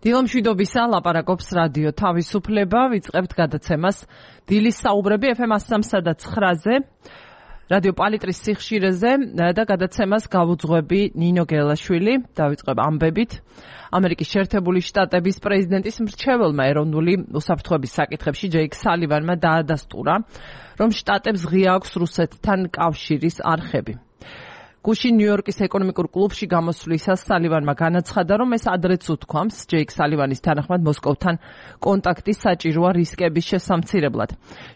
დილამშვიდობისა, ლაპარაკობს რადიო თავისუფლება, ვიწყებთ გადაცემას დილის საუბრები FM 103.9-ზე, რადიო პალიტრის სიხშირეზე და გადაცემას გავუძღვები ნინო გელაშვილი, დავიწყებ ამბებით. ამერიკის შეერთებული შტატების პრეზიდენტის მრჩეველმა ეროვნული უსაფრთხოების საკითხებში ჯეიკ სალივანმა დაადასტურა, რომ შტატებს ღია აქვს რუსეთთან კავშირის არხები. გუშინ ნიუ-იორკის ეკონომიკურ კლუბში გამოსვლისას სალივანმა განაცხადა, რომ ეს ადრეც უთქვამს ჯეიკ სალივანის თანახმად მოსკოვთან კონტაქტი საჭიროა რისკების შესამცირებლად.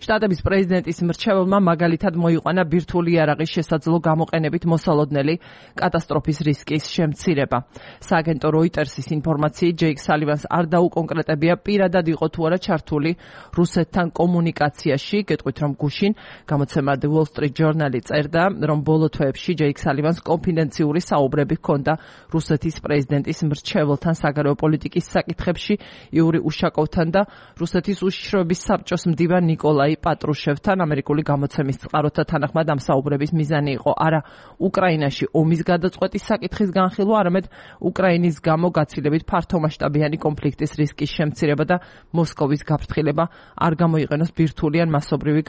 შტატების პრეზიდენტის მრჩეველმა მაგალითად მოიყვანა ბირთვული იარაღის შესაძლო გამოყენებით მოსალოდნელი კატასტროფის რისკის შემცირება. სააგენტო როიტერსის ინფორმაციით ჯეიკ სალივანს არ დაუკონკრეტებია პირადად იყო თუ არა ჩართული რუსეთთან კომუნიკაციაში, გეტყვით რომ გუშინ გამოცემა The Wall Street Journal-ი წერდა, რომ ბოლო თვეებში ჯეიკ სალივანს კონფიდენციური საუბრები ჰქონდა რუსეთის პრეზიდენტის მრჩეველთან საგარეო პოლიტიკის საკითხებში იური უშაკოვთან და რუსეთის უშიშროების საბჭოს მდივან ნიკოლაი პატრუშევთან. ამერიკული გამოცემის წყაროთა თანახმად ამ საუბრების მიზანი იყო არა უკრაინაში ომის გადაწყვეტის საკითხის განხილვა, არამედ უკრაინის გამო გაცილებით ფართომასშტაბიანი კონფლიქტის რისკის შემცირება და მოსკოვის გაფრთხილება არ გამოიყენოს ბირთვული ან მასობრივი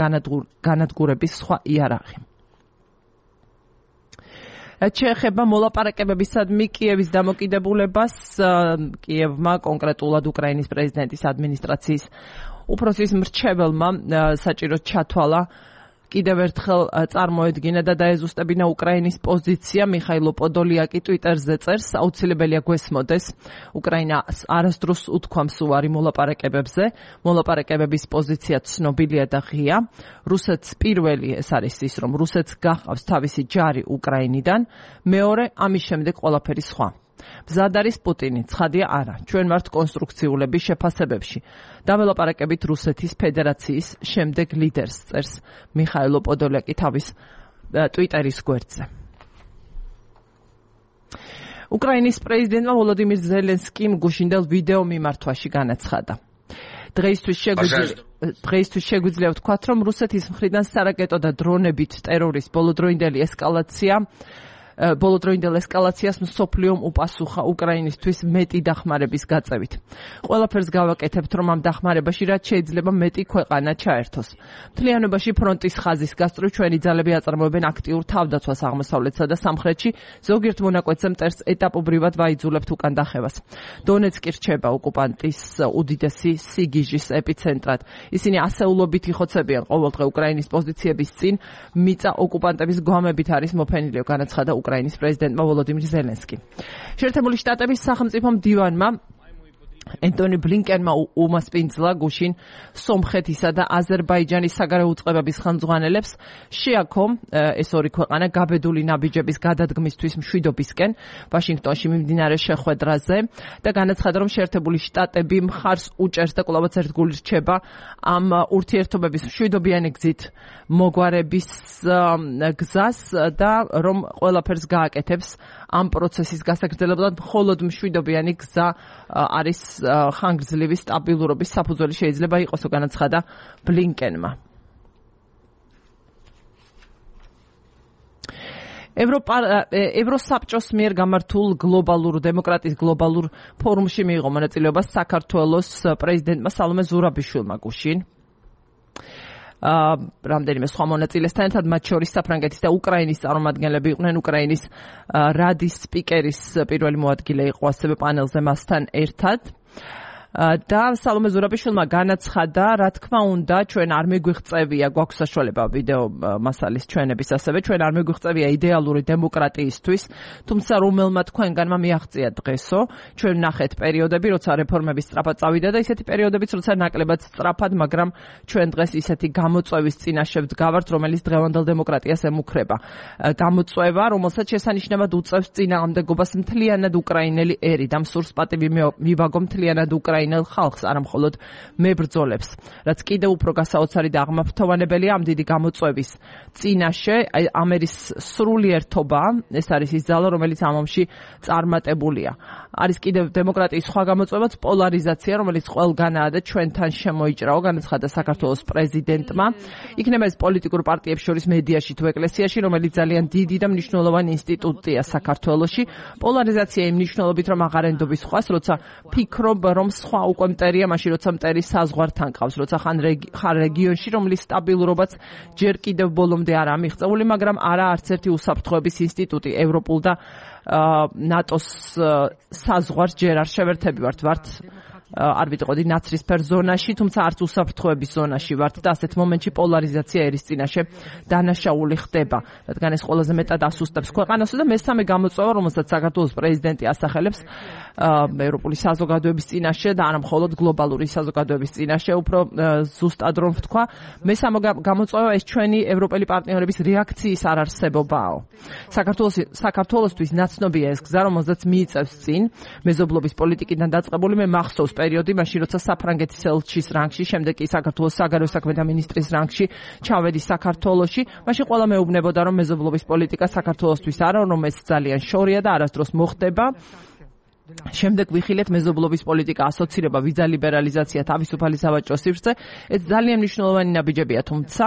განადგურების სხვა იარაღი. შეეხება მოლაპარაკებებისადმი კიევის დამოკიდებულებას, კიევმა კონკრეტულად უკრაინის პრეზიდენტის ადმინისტრაციის უფროსის მრჩეველმა საჭიროდ ჩათვალა კიდევ ერთხელ წარმოედგინა და დაეზუსტებინა უკრაინის პოზიცია. მიხაილო პოდოლიაკი ტვიტერზე წერს, აუცილებელია გვესმოდეს უკრაინას არასდროს უთქვამს უარი მოლაპარაკებებზე. მოლაპარაკებების პოზიცია ცნობილია და ღია. რუსეთს პირველი ეს არის ის, რომ რუსეთს გახავს თავისი ჯარი უკრაინიდან, მეორე ამის შემდეგ ყველაფერი სხვა. მზად არის პუტინი, ცხადია არა. ჩვენ ვართ კონსტრუქციულები შეფასებებში. დაველაპარაკებით რუსეთის ფედერაციის შემდეგ ლიდერს, წერს მიხაილო პოდოლიაკი თავის ტვიტერის გვერდზე. უკრაინის პრეზიდენტმა ვოლოდიმირ ზელენსკიმ გუშინდელ ვიდეო მიმართვაში განაცხადა. დღეისთვის შეგვიძლია ვთქვათ, რომ რუსეთის მხრიდან სარაკეტო და დრონებით ტერორის ბოლოდროინდელ ესკალაციას მსოფლიომ უპასუხა უკრაინისთვის მეტი დახმარების გაწევით. ყველაფერს გავაკეთებთ, რომ ამ დახმარებაში რაც შეიძლება მეტი ქვეყანა ჩაერთოს. მთლიანობაში ფრონტის ხაზის გასწვრივ ჩვენი ძალები აწარმოებენ აქტიურ თავდაცვას აღმოსავლეთსა და სამხრეთში, ზოგიერთ მონაკვეთზე მტერს ეტაპობრივად ვაიძულებთ უკან დახევას. დონეცკი რჩება ოკუპანტის უდიდესი სიგიჟის ეპიცენტრად. ისინი ასეულობით იხოცებიან ყოველდღე უკრაინის პოზიციების წინ, მიწა ოკუპანტების გვამებით არის მოფენილი, განაცხადა უკრაინის პრეზიდენტმა ვოლოდიმირ ზელენსკიმ. შეერთებული შტატების სახელმწიფო მდივანმა ენტონი ბლინკენმა უმასპინძლა გუშინ სომხეთისა და აზერბაიჯანის საგარეო უწყებების ხელმძღვანელებს შეაქო ეს ორი ქვეყანა გაბედული ნაბიჯების გადადგმისთვის მშვიდობისკენ ვაშინგტონში მიმდინარე შეხვედრაზე და განაცხადა, რომ შეერთებული შტატები მხარს უჭერს და კვლავაც ერთგული რჩება ამ ურთიერთობების მშვიდობიანი გზით მოგვარების გზას და რომ ყველაფერს გააკეთებს ამ პროცესის გასაგრძელებლად. მხოლოდ მშვიდობიანი გზა არის ხანგრძლივი სტაბილურობის საფუძველი შეიძლება იყოსო, განაცხადა ბლინკენმა. ევროსაბჭოს მიერ გამართულ გლობალურ დემოკრატიის გლობალურ ფორუმში მიიღო მონაწილეობა საქართველოს პრეზიდენტმა სალომე ზურაბიშვილმა გუშინ. რამდენიმე სხვა მონაწილესთან ერთად, მათ შორის საფრანგეთის და უკრაინის წარმომადგენლები იყვნენ. უკრაინის რადის სპიკერის პირველი მოადგილე იყო ასევე პანელზე მასთან ერთად. და სალომე ზურაბიშვილმა განაცხადა, რა თქმა უნდა, ჩვენ არ მეგვიღწევია, გვაქვს საშუალება ვიდეო მასალის ჩვენების, ასევე ჩვენ არ მეგვიღწევია იდეალური დემოკრატიისთვის, თუმცა რომელმა თქვენგანმა მიაღწია დღესო, ჩვენ ვნახეთ პერიოდები, როცა რეფორმები სწრაფად წავიდა და ისეთი პერიოდებიც, როცა ნაკლებად სწრაფად, მაგრამ ჩვენ დღეს ისეთი გამოწვევის წინაშე ვდგავართ, რომელიც დღევანდელ დემოკრატიას ემუქრება. გამოწვევა, რომელსაც შესანიშნავად უწევს წინააღმდეგობას მთლიანად უკრაინელი ერი და მსურს პატივი მივაგო მთლიანად უკრაინელი უკრაინელ ხალხს, არა მხოლოდ მებრძოლებს. რაც კიდევ უფრო გასაოცარი და აღმაფრთოვანებელია ამ დიდი გამოწვევის წინაშე ამერის სრულიერთობა, ეს არის ის ძალა, რომელიც ამ ომში წარმატებულია. არის კიდევ დემოკრატიის სხვა გამოწვევაც პოლარიზაცია, რომელიც ყველგანაა და ჩვენთან შემოიჭრაო, განაცხადა საქართველოს პრეზიდენტმა. იქნება ეს პოლიტიკურ პარტიებს შორის მედიაში თუ ეკლესიაში, რომელიც ძალიან დიდი და მნიშვნელოვანი ინსტიტუტია საქართველოში. პოლარიზაცია იმ მნიშვნელობით, რომ აღარ ენდობის სხვას, როცა ფიქრობ, რომ სხვა უკვე მტერია, მაშინ როცა მტერი საზღვართან ყავს, როცა ხარ რეგიონში, რომლის სტაბილურობაც ჯერ კიდევ ბოლომდე არ ამიღწეული, მაგრამ არა არც ერთი უსაფრთხოების ინსტიტუტი ევროპულ და ნატოს საზღვარს ჯერ არ შევერთებივართ, ვართ არ ვიტყოდი ნაცრისფერ ზონაში, თუმცა არც უსაფრთხოების ზონაში ვართ და ასეთ მომენტში პოლარიზაცია ერის წინაშე დანაშაული ხდება, რადგან ეს ყველაზე მეტად ასუსტებს ქვეყანას და მესამე გამოწვევა, რომელსაც საქართველოს პრეზიდენტი ასახელებს ევროპული საზოგადოების წინაშე და არა მხოლოდ გლობალური საზოგადოების წინაშე, უფრო ზუსტად რომ ვთქვა, მესამე გამოწვევა ეს ჩვენი ევროპელი პარტნიორების რეაქციის არარსებობაა. საქართველოსთვის ნაცნობია ეს გზა, რომელზეც მიიწევს წინ მეზობლობის პოლიტიკიდან დაწყებული. მე მახსოვს პერიოდი, მაშინ როცა საფრანგეთის ელჩის რანგში, შემდეგ კი საქართველოს საგარეო საქმეთა მინისტრის რანგში ჩავედი საქართველოში, მაშინ ყველა მეუბნებოდა, რომ მეზობლობის პოლიტიკა საქართველოსთვის არა, რომ ეს ძალიან შორია და არასდროს მოხდება. შემდეგ ვიხილეთ მეზობლობის პოლიტიკა, ასოცირება, ვიზა ლიბერალიზაცია, თავისუფალი სავაჭრო სივრცე. ეს ძალიან მნიშვნელოვანი ნაბიჯებია, თუმცა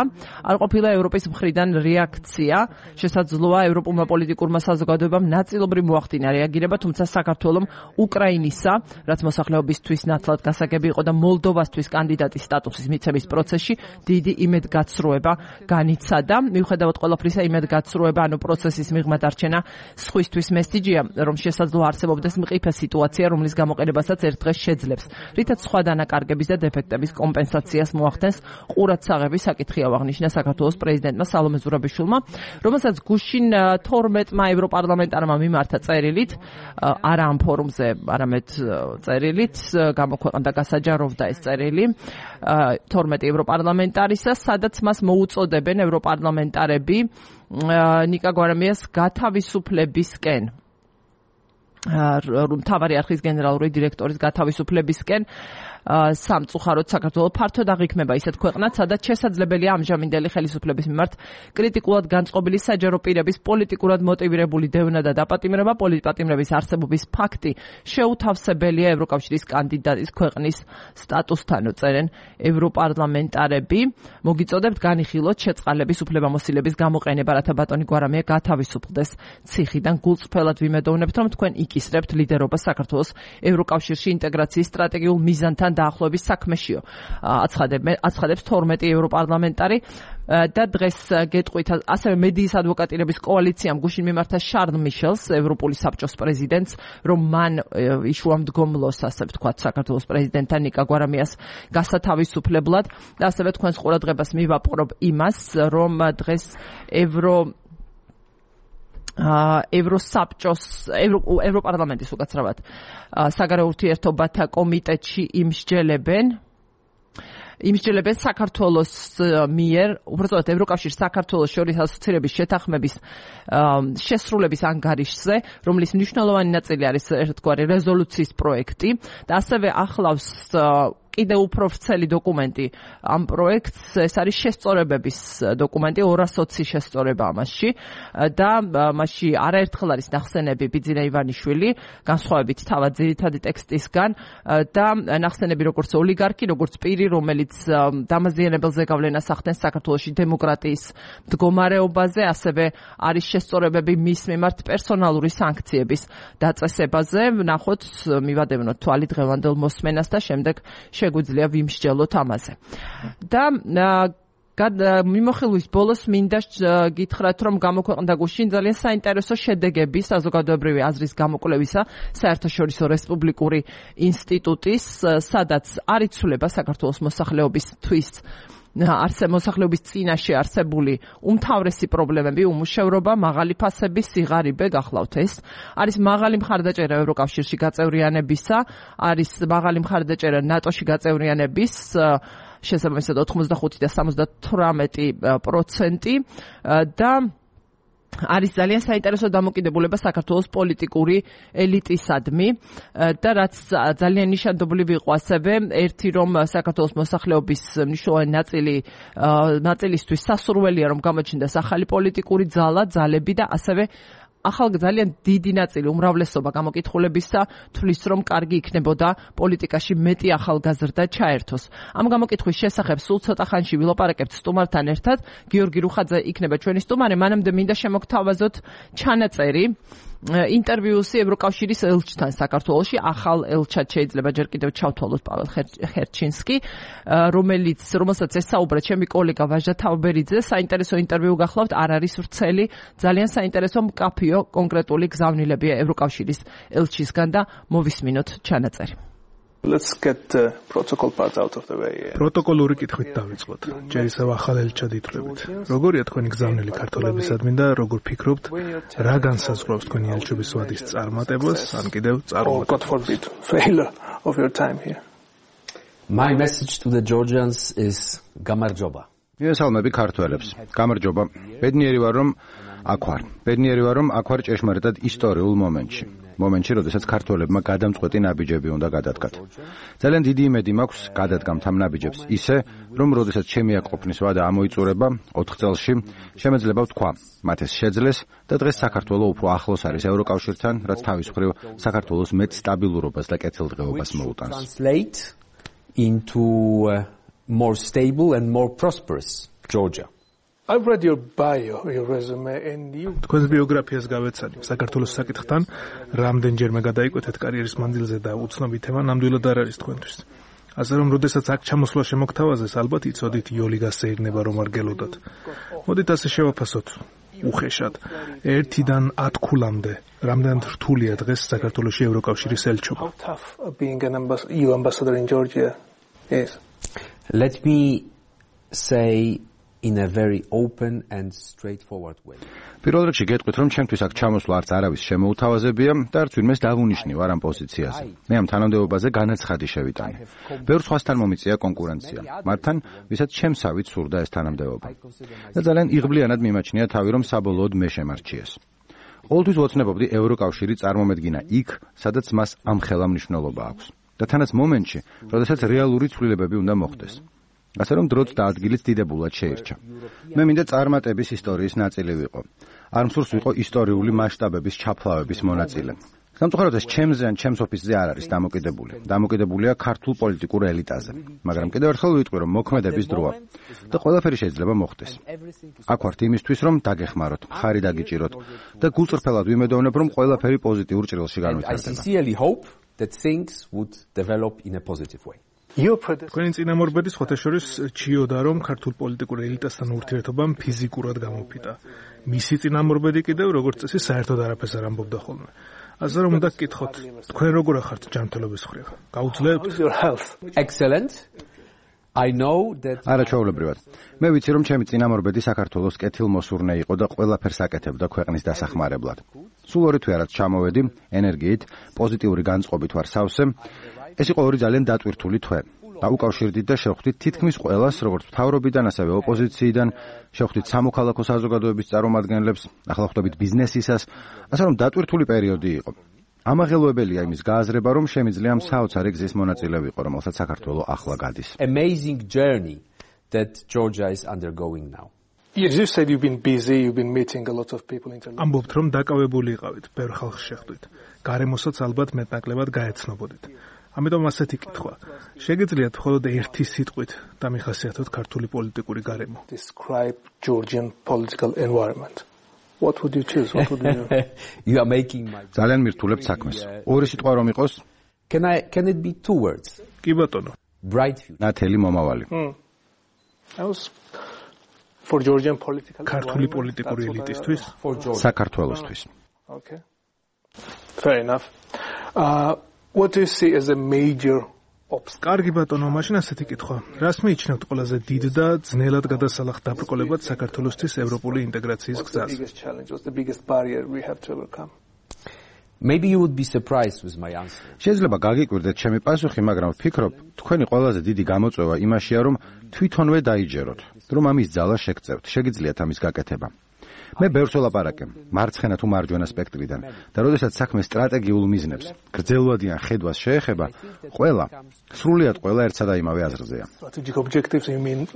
არ ყოფილა ევროპის მხრიდან რეაქცია. შესაძლოა ევროპულმა პოლიტიკურმა საზოგადოებამ ნაწილობრივ მოახდინა რეაგირება, თუმცა საქართველომ უკრაინისა, რაც მოსახლეობისთვის ნათლად გასაგები იყო და მოლდოვასთვის კანდიდატის სტატუსის მიცემის პროცესში დიდი იმედგაცრუება განიცადა. მიუხედავად ყველაფრისა, იმედგაცრუება, ანუ პროცესის მიღმა დარჩენა სხვისთვის მესიჯია, რომ შესაძლოა არსებობდეს მყიფე სიტუაცია, რომლის გამოყენებასაც ერთ დღეს შეძლებს, რითაც სხვა დანაკარგების და დეფექტების კომპენსაციას მოახდენს ყურადსაღები საკითხი აღნიშნა საქართველოს პრეზიდენტმა სალომე ზურაბიშვილმა, რომელსაც გუშინ 12-მა ევროპარლამენტარმა მიმართა წერილით, არა ამ ფორუმზე, არამედ წერილით, გამოქვეყნდა გასაჯაროვდა ეს წერილი 12 ევროპარლამენტარისა, სადაც მას მოუწოდებენ ევროპარლამენტარები ნიკა გვარამიას გათავისუფლებისკენ. მთავარი არხის გენერალური დირექტორის გათავისუფლებისკენ სამწუხაროდ საქართველოს ფართოდ აღიქმება ისეთ ქვეყნად, სადაც შესაძლებელია ამჟამინდელი ხელისუფლების მიმართ კრიტიკულად განწყობილი საჯარო პირების პოლიტიკურად მოტივირებული დევნა და დაპატიმრება, პოლიტპატიმრების არსებობის ფაქტი შეუთავსებელია ევროკავშირის კანდიდატის ქვეყნის სტატუსთან, წერენ ევროპარლამენტარები. მოგიწოდებთ განიხილოთ შეწყალების უფლებამოსილების გამოყენება, რათა ბატონი გვარამია გათავისუფლდეს ციხიდან. გულწრფელად ვიმედოვნებთ, რომ თქვენ იკისრებთ ლიდერობას საქართველოს ევროკავშირში ინტეგრაციის სტრატეგიულ მიზანთან დაახლოების საქმეშიო. აცხადებს 12 ევროპარლამენტარი და დღეს გეტყვით ასევე მედიის ადვოკატირების კოალიციამ გუშინ მიმართა შარლ მიშელს, ევროპული საბჭოს პრეზიდენტს, რომ მან იშუამდგომლოს, ასე ვთქვათ, საქართველოს პრეზიდენტთან ნიკა გვარამიას გასათავისუფლებლად და ასევე თქვენს ყურადღებას მივაპყრობ იმას, რომ დღეს ევროპარლამენტის უკაცრავად საგარეო ურთიერთობათა კომიტეტში იმსჯელებენ საქართველოს მიერ, უბრალოდ ევროკავშირის საქართველოს შორის ასოცირების შეთანხმების შესრულების ანგარიშზე, რომლის მნიშვნელოვანი ნაწილი არის ერთგვარი რეზოლუციის პროექტი და ასევე ახლავს კიდევ უფრო ვრცელი დოკუმენტი ამ პროექტს, ეს არის შესწორებების დოკუმენტი, 220 შესწორება ამაში და მასში არაერთხელ არის ნახსენები ბიძინა ივანიშვილი, განსხვავებით თავად ძირითადი ტექსტისგან და ნახსენები როგორც ოლიგარქი, როგორც პირი, რომელიც დამაზიანებელ ზეგავლენას ახდენს საქართველოში დემოკრატიის მდგომარეობაზე, ასევე არის შესწორებები მის მიმართ პერსონალური სანქციების დაწესებაზე. ვნახოთ, მივადევნოთ თვალი დღევანდელ მოსმენას და შემდეგ შეგვიძლია ვიმსჯელოთ ამაზე. და მიმოხილვის ბოლოს მინდა გითხრათ, რომ გამოქვეყნდა გუშინ ძალიან საინტერესო შედეგები საზოგადოებრივი აზრის გამოკვლევისა საერთაშორისო რესპუბლიკური ინსტიტუტის, სადაც არ იცვლება საქართველოს მოსახლეობისთვის მოსახლეობის წინაშე არსებული უმთავრესი პრობლემები, უმუშევრობა, მაღალი ფასები, სიღარიბე, გახლავთ ეს. არის მაღალი მხარდაჭერა ევროკავშირში გაწევრიანებისა, არის მაღალი მხარდაჭერა ნატოში გაწევრიანების, შესაბამისად 85 და 78% და არის ძალიან საინტერესო დამოკიდებულება საქართველოს პოლიტიკური ელიტისადმი და რაც ძალიან ნიშანდობლივი იყო ასევე ერთი რომ საქართველოს მოსახლეობის მნიშვნელოვანი ნაწილისთვის სასურველია რომ გამოჩნდეს ახალი პოლიტიკური ძალები და ასევე ძალიან დიდი ნაწილი უმრავლესობა გამოკითხულებისა თვლის რომ კარგი იქნებოდა პოლიტიკაში მეტი ახალგაზრდა ჩაერთოს. ამ გამოკითხვის შესახებ სულ ცოტა ხანში ვილაპარაკებთ სტუმართან ერთად. გიორგი რუხაძე იქნება ჩვენი სტუმარი. მანამდე მინდა შემოგთავაზოთ ჩანაწერი ინტერვიუსი ევროკავშირის ელჩთან საქართველოში, ახალ ელჩად შეიძლება ჯერ კიდევ ჩავთვალოთ პაվել ხერჩინსკი, რომელსაც ესაუბრა ჩემი კოლეგა ვაჟა თავბერიძე. საინტერესო ინტერვიუ გახლავთ, არ არის ვრცელი, ძალიან საინტერესო მკაფიო კონკრეტული გზავნილებია ევროკავშირის ელჩისგან და მოვისმინოთ ჩანაწერი. Let's get the protocol part out of the way. პროტოკოლური კითხვით დავიწყოთ. ჯერისავ ახალ ელჩად ითვლებით. როგორია თქვენი გზავნილი ქართველებისადმი და როგორ ფიქრობთ, რა განსაზღვრავს თქვენი ელჩობის ვადის წარმატებას, ან კიდევ წარუმატებას? God forbid, failure of your time here. My message to the Georgians is გამარჯობა. მივესალმები ქართველებს. გამარჯობა. ბედნიერი ვარ რომ აქ ვარ. ბედნიერი ვარ რომ აქ ვარ ჭეშმარიტად ისტორიულ მომენტში. მომენტში, როდესაც ქართველებმა გადამწყვეტი ნაბიჯები უნდა გადადგათ. ძალიან დიდი იმედი მაქვს გადადგამთ ამ ნაბიჯებს ისე, რომ როდესაც ჩემი აკყოფნის ვადა ამოიწურება 4 წელში, შემეძლება ვთქვა, მათ ეს შეძლეს და დღეს საქართველო უფრო ახლოს არის ევროკავშირთან, რაც თავის მხრივ საქართველოს მეტ სტაბილურობას და კეთილდღეობას მოუტანს. Translate into more stable and more prosperous Georgia. I've read your bio, your resume, and you... თქვენს ბიოგრაფიას გავეცანი. საქართველოს საკითხთან რამდენჯერმე გადაიკვეთეთ კარიერის მანძილზე და უცნობი თემა ნამდვილად არ არის თქვენთვის. ასე რომ, როდესაც აქ ჩამოსვლა შემოგთავაზეს, ალბათ იცოდით იოლი გასეირნება რომ არ გელოდოთ. მოდით ასე შევაფასოთ. უხეშად. 1-დან 10 ქულამდე. რამდენად რთულია დღეს საქართველოში ევროკავშირის ელჩობა? How tough being an EU ambassador in Georgia is? Let me say in a very open and straightforward way. პირველ რიგში გეტყვით რომ ჩემთვის აქ ჩამოსვლა არც არავის შემოუთავაზებია და არც ვინმეს დავუნიშნივ არ ამ პოზიციაზე. მე ამ თანამდებობაზე განაცხადი შევიტანე. ბევრ სხვასთან მომიწია კონკურენცია. მათთან, ვისაც შემსავით სურდა ეს თანამდებობა. და ძალიან იღბლიანად მიმაჩნია თავი რომ საბოლოოდ მე შემარჩიეს. ყოველთვის ვოცნებობდი ევროკავშირი წარმომედგინა იქ, სადაც მას ამხელა მნიშვნელობა აქვს. და თანაც მომენტში, როდესაც რეალური ცვლილებები უნდა მოხდეს. ასე რომ დროც და ადგილიც დიდებულად შეირჩა. მე მინდა წარმატების ისტორიის ნაწილი ვიყო. არ მსურს ვიყო ისტორიული მასშტაბების ჩაფლავების მონაწილე. სამწუხაროდ ეს ჩემზე ან ჩემს ოფისზე არ არის დამოკიდებული. დამოკიდებულია ქართულ პოლიტიკურ ელიტაზე. მაგრამ კიდევ ერთხელ ვიტყვი რომ მოქმედების დროა და ყველაფერი შეიძლება მოხდეს. აქ ვართ იმისთვის რომ დაგეხმაროთ, მხარი დაგიჭიროთ და გულწრფელად ვიმედოვნებ რომ ყველაფერი პოზიტიურ ჭრილში განვითარდება. I sincerely hope that things would develop in a positive way. თქვენი წინამორბედი სხვათა შორის ჩიოდა რომ ქართულ პოლიტიკურ ელიტასთან ურთიერთობამ ფიზიკურად გამოფიტა. მისი წინამორბედი კიდევ როგორც წესი საერთოდ არაფერს არ ამბობდა ხოლმე. ასე რომ უნდა გკითხოთ, თქვენ როგორ ახართ ჯანმრთელობის მხრივ? გაუძლებთ? Excellent. I know that არაჩვეულებრივად. მე ვიცი რომ ჩემი წინამორბედი საქართველოს კეთილმოსურნე იყო და ყველაფერს აკეთებდა ქვეყნის დასახმარებლად. სულ 2 თვე რაც ჩამოვედი, ენერგიით, პოზიტიური განწყობით ვარ სავსე. ეს იყო 2 ძალიან დატვირთული თვე. დაუკავშირდით და შევხვდით თითქმის ყველას, როგორც მთავრობიდან, ასევე ოპოზიციიდან, შევხვდით სამოქალაქო საზოგადოების წარმომადგენლებს, ახლა ხვდებით ბიზნესისას, ასე რომ დატვირთული პერიოდი იყო. ამაღელვებელია იმის გააზრება, რომ შემიძლია ამ საოცარი გზის მონაწილე ვიყო, რომელსაც საქართველო ახლა გადის. amazing journey that Georgia is undergoing now. Yes, you said you've been busy, you've been meeting a lot of people internationally. ამბობთ რომ დაკავებული იყავით, ბევრ ხალხს შეხვდით. გარემოსაც ალბათ მეტნაკლებად გაეცნობოდით. ამიტომ ასეთი კითხვა. შეგიძლიათ მხოლოდ ერთი სიტყვით დამიხასიათოთ ქართული პოლიტიკური გარემო? Describe Georgian political environment. What would you choose? What would you You are making my ძალიან მირთულებთ საქმეს. ორი სიტყვა რომ იყოს? Can it be 2 words? კი ბატონო. Bright future. ნათელი მომავალი. I was for Georgian political ქართული პოლიტიკური ელიტისთვის? For Georgia. საქართველოსთვის. Okay. Fair enough. What do you see as a major obstacle? კარგი ბატონო, მაშინ ასეთი კითხვა. რას მიიჩნევთ ყველაზე დიდ და ძნელად გადასალახ დაბრკოლებად საქართველოსთვის ევროპული ინტეგრაციის გზაზე? The biggest challenge, what's the biggest barrier we have to overcome? Maybe you would be surprised with my answer. შეიძლება გაგიკვირდეთ ჩემი პასუხი, მაგრამ ვფიქრობ, თქვენი ყველაზე დიდი გამოწვევა იმაშია, რომ თვითონვე დაიჯეროთ, რომ ამის ძალა შეგწევთ, შეგიძლიათ ამის გაკეთება. მე ბევრს ველაპარაკე, მარცხენა თუ მარჯვენა სპექტრიდან და როდესაც საქმე სტრატეგიულ მიზნებს, გრძელვადიან ხედვას შეეხება, სრულიად ყველა ერთსა და იმავე აზრზეა. Strategic objectives you mean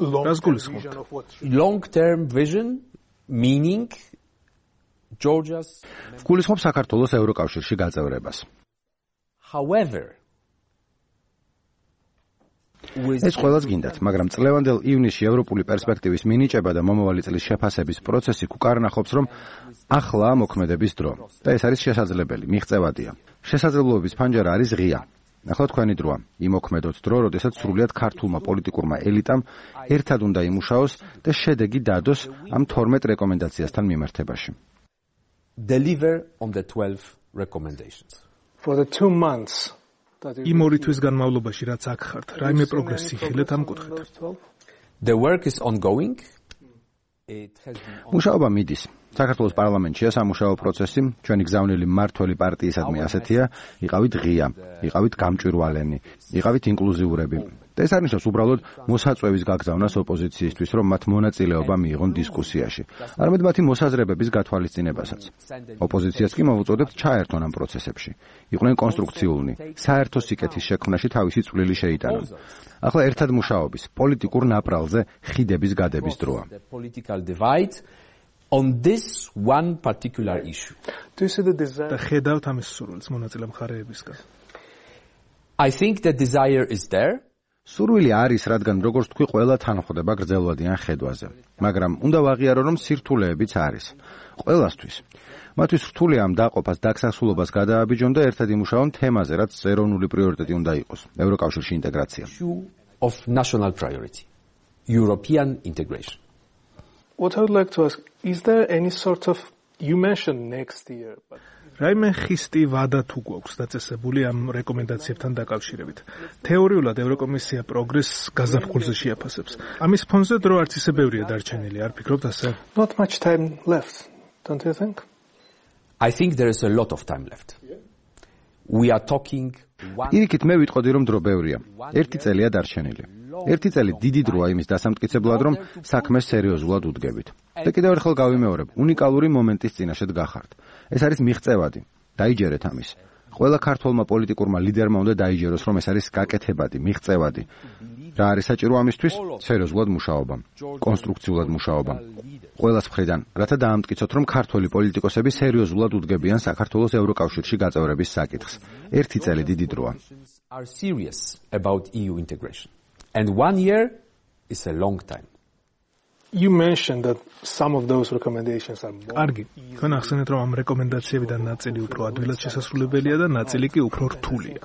long-term vision meaning Georgia's გულისხმობს საქართველოს ევროკავშირში გაწევრებას. However, ეს ყველას გინდათ, მაგრამ წლევანდელ ივნისში ევროპული პერსპექტივის მინიჭება და მომავალი წლის შეფასების პროცესი უკარნახობს, რომ ახლა მოქმედების დრო და ეს არის შესაძლებელი, მიღწევადია. შესაძლებლობების ფანჯარა არის ღია. ახლა თქვენი დროა, იმოქმედოთ დრო, როდესაც სრულიად ქართულმა პოლიტიკურმა ელიტამ ერთად უნდა იმუშაოს და შედეგი დადოს ამ 12 რეკომენდაციასთან მიმართებაში. Deliver on the 12 recommendations. For the 2 months იმ 2 თვის განმავლობაში რაც აქ ხართ, რაიმე პროგრესი ხილეთ ამ კუთხით. The work is ongoing. მუშაობა მიდის. საქართველოს პარლამენტშია სამუშაო პროცესი, ჩვენი გზავნილი მმართველი პარტიისადმი ასეთია, იყავით ღია, იყავით გამჭვირვალენი, იყავით ინკლუზიურები. და ეს არნიშნავს უბრალოდ მოსაწვევის გაგზავნას ოპოზიციისთვის, რომ მათ მონაწილეობა მიიღონ დისკუსიაში. არამედ მათი მოსაზრებების გათვალისწინებასაც. ოპოზიციას კი მოვუწოდებთ ჩაერთონ ამ პროცესებში. იყვნენ კონსტრუქციულნი, საერთო სიკეთის შექმნაში თავისი წვლილი შეიტანონ. ახლა ერთად მუშაობის, პოლიტიკურ ნაპრალზე ხიდების გადების დროა. On this one particular issue. Do you see the desire? და ხედავთ ამის სურვილს მონაწილე მხარეებისგან. I think the desire is there. სურვილი არის, რადგან როგორც თქვი, ყველა თან ხვდება გრძელვადიან ხედვაზე. მაგრამ უნდა ვაღიარო, რომ სირთულეებიც არის. ყველასთვის. მათთვის რთულია ამ დაყოფას, დაგსახსულობას გადააბიჯონ და ერთად იმუშაონ თემაზე, რაც ეროვნული პრიორიტეტი უნდა იყოს. ევროკავშირში ინტეგრაცია. Of national priority. European integration. What I would like to ask, is there any sort of, you mentioned next year, but რაიმე ხისტი ვადა თუ გვაქვს დაწესებული ამ რეკომენდაციებთან დაკავშირებით. თეორიულად ევროკომისია პროგრესს გაზაფხულზე შეაფასებს. ამის ფონზე დრო არც ისე ბევრია დარჩენილი, არ ფიქრობთ ასე? not much time left, don't you think? I think there is a lot of time left. We are talking იქით მე ვიტყოდი, რომ დრო ბევრია. 1 წელია დარჩენილი. 1 წელი დიდი დროა იმის დასამტკიცებლად, რომ საქმეს სერიოზულად უდგებით. და კიდევ ერთხელ გავიმეორებ, უნიკალური მომენტის წინაშე დგახართ. ეს არის მიღწევადი. დაიჯერეთ ამის. ყველა ქართველმა პოლიტიკურმა ლიდერმა უნდა დაიჯეროს, რომ ეს არის გაკეთებადი, მიღწევადი. რა არის საჭირო ამისთვის? სერიოზულად მუშაობა, კონსტრუქციულად მუშაობა. ყველას მხრიდან, რათა დაამტკიცოთ, რომ ქართველი პოლიტიკოსები სერიოზულად უდგებიან საქართველოს ევროკავშირში გაწევრების საკითხს. 1 წელი დიდი დროა. Are serious about EU integration. And 1 year is a long time. You mentioned that some of those recommendations are more. კარგი, თქვენ ახსენეთ, რომ ამ რეკომენდაციებიდან ნაწილი უფრო ადვილად შესასრულებელია და ნაწილი კი უფრო რთულია.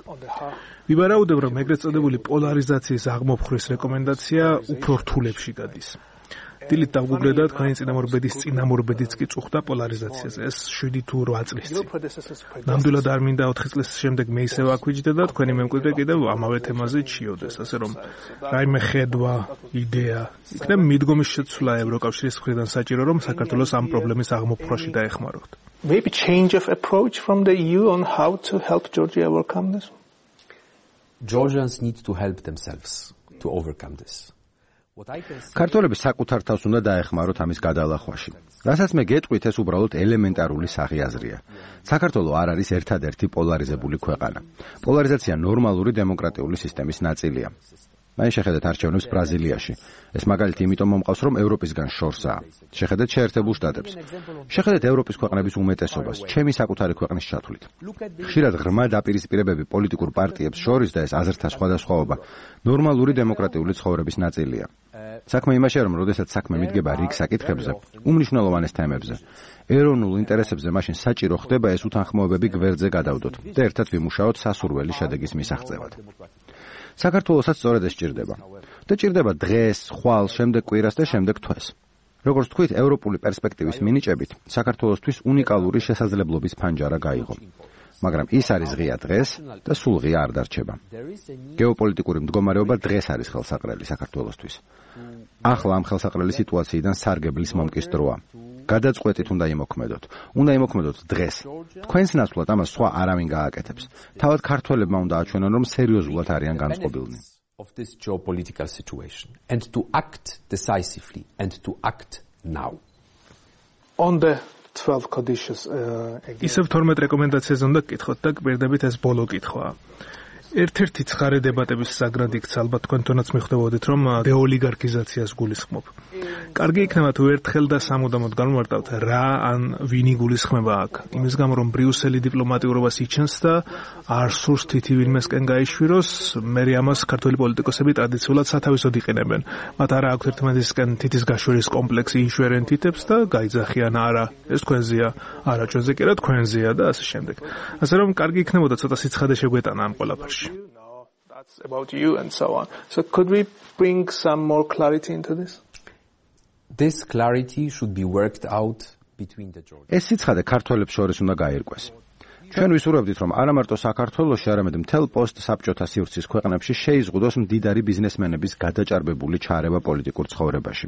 ვივარაუდებ, რომ ეგრეთ წოდებული პოლარიზაციის აღმოფხვრის რეკომენდაცია უფრო რთულებში გადის. დილით დავგუგლე და თქვენი წინამორბედიც კი წუხდა პოლარიზაციაზე. ეს 7 თუ 8 წლის წინ. ნამდვილად არ მინდა 4 წლის შემდეგ მე ისევ აქვიჯდე და თქვენი მემკვიდრე კიდევ ამავე თემაზე ჩიოდეს, ასე რომ რაიმე ხედვა, იდეა, იქნება მიდგომის შეცვლა ევროკავშირის მხრიდან საჭირო, რომ საქართველოს ამ პრობლემის აღმოფხვაში დაეხმაროთ. Maybe change of approach from the EU on how to help Georgia overcome this? Georgians need to help themselves to overcome this. ქართველები საკუთარ თავს უნდა დაეხმაროთ ამის გადალახვაში. რასაც მე გეტყვით, ეს უბრალოდ ელემენტარული სახიაზრია. საქართველო არ არის ერთადერთი პოლარიზებული ქვეყანა. პოლარიზაცია ნორმალური დემოკრატიული სისტემის ნაწილია. მაინც შეხედეთ არჩევნებს ბრაზილიაში. ეს მაგალითი იმიტომ მომყავს, რომ ევროპისგან შორსაა. შეხედეთ შეერთებულ შტატებს. შეხედეთ ევროპის ქვეყნების უმეტესობას, ჩემი საკუთარი ქვეყნის ჩათვლით. ხშირად ღრმა დაპირისპირებები პოლიტიკურ პარტიებს შორის და ეს აზრთა სხვადასხვაობა ნორმალური დემოკრატიული ცხოვრების ნაწილია. საქმე იმაშია, რომ როდესაც საქმე მიდგება რიგ საკითხებზე, უმნიშვნელოვანეს თემებზე, ეროვნულ ინტერესებზე, მაშინ საჭირო ხდება ეს უთანხმოებები გვერდზე გადავდოთ და ერთად ვიმუშაოთ სასურველი შედეგის მისაღწევად. საქართველოსაც სწორედ ეს ჭირდება. და ჭირდება დღეს, ხვალ, შემდეგ კვირას და შემდეგ თვეს. როგორც თქვით, ევროპული პერსპექტივის მინიჭებით, საქართველოსთვის უნიკალური შესაძლებლობის ფანჯარა გაიღო. მაგრამ ის არის ღია დღეს და სულ ღია არ დარჩება. გეოპოლიტიკური მდგომარეობა დღეს არის ხელსაყრელი საქართველოსთვის. ახლა ამ ხელსაყრელი სიტუაციიდან სარგებლის მომკის დროა. გადაწყვეტით უნდა იმოქმედოთ. უნდა იმოქმედოთ დღეს. თქვენს ნაცვლად ამას სხვა არავინ გააკეთებს. თავად ქართველებმა უნდა აჩვენონ, რომ სერიოზულად არიან განწყობილნი. Of this geopolitical situation and to act decisively and to act now. on the 12 conditions ისევ 12 რეკომენდაციაზე უნდა გკითხოთ და გვერდებით ეს ბოლო კითხვაა. ერთ-ერთი ცხარე დებატების საგრად იქცა ალბათ თქვენთანაც მიხვდებოდით რომ დეოლიგარქიზაციას გულისხმობ. კარგი იქნება თუ ერთხელ და სამუდამოდ განმარტავთ რა ან ვინი გულისხმება აქ. იმის გამო რომ ბრიუსელი დიპლომატიურობას იჩენს და არ სურს თითი ვინმესკენ გაიშვიროს, მე ამას ქართველი პოლიტიკოსები ტრადიციულად სათავისოდ იყენებენ. მათ არა აქვთ ერთმანეთისკენ თითის გაშვერის კომპლექსი, იშვერენ თითებს და გაიძახიან არა, ეს თქვენზეა, არა ჩვენზე კი არა თქვენზეა და ასე შემდეგ. ასე რომ კარგი იქნებოდა ცოტა სიცხადე შეგვეტანა ამ ყველაფერში. No, that's about you and so on. So could we bring some more clarity into this? This clarity should be worked out between the Georgians. ეს სიცხადე ქართველებს შორის უნდა გაირკვეს. ჩვენ ვისურვებდით რომ არა მარტო საქართველოში, არამედ მთელ პოსტ-საბჭოთა სივრცის ქვეყნებში შეიზღუდოს მდიდარი ბიზნესმენების გადაჭარბებული ჩარევა პოლიტიკურ ცხოვრებაში.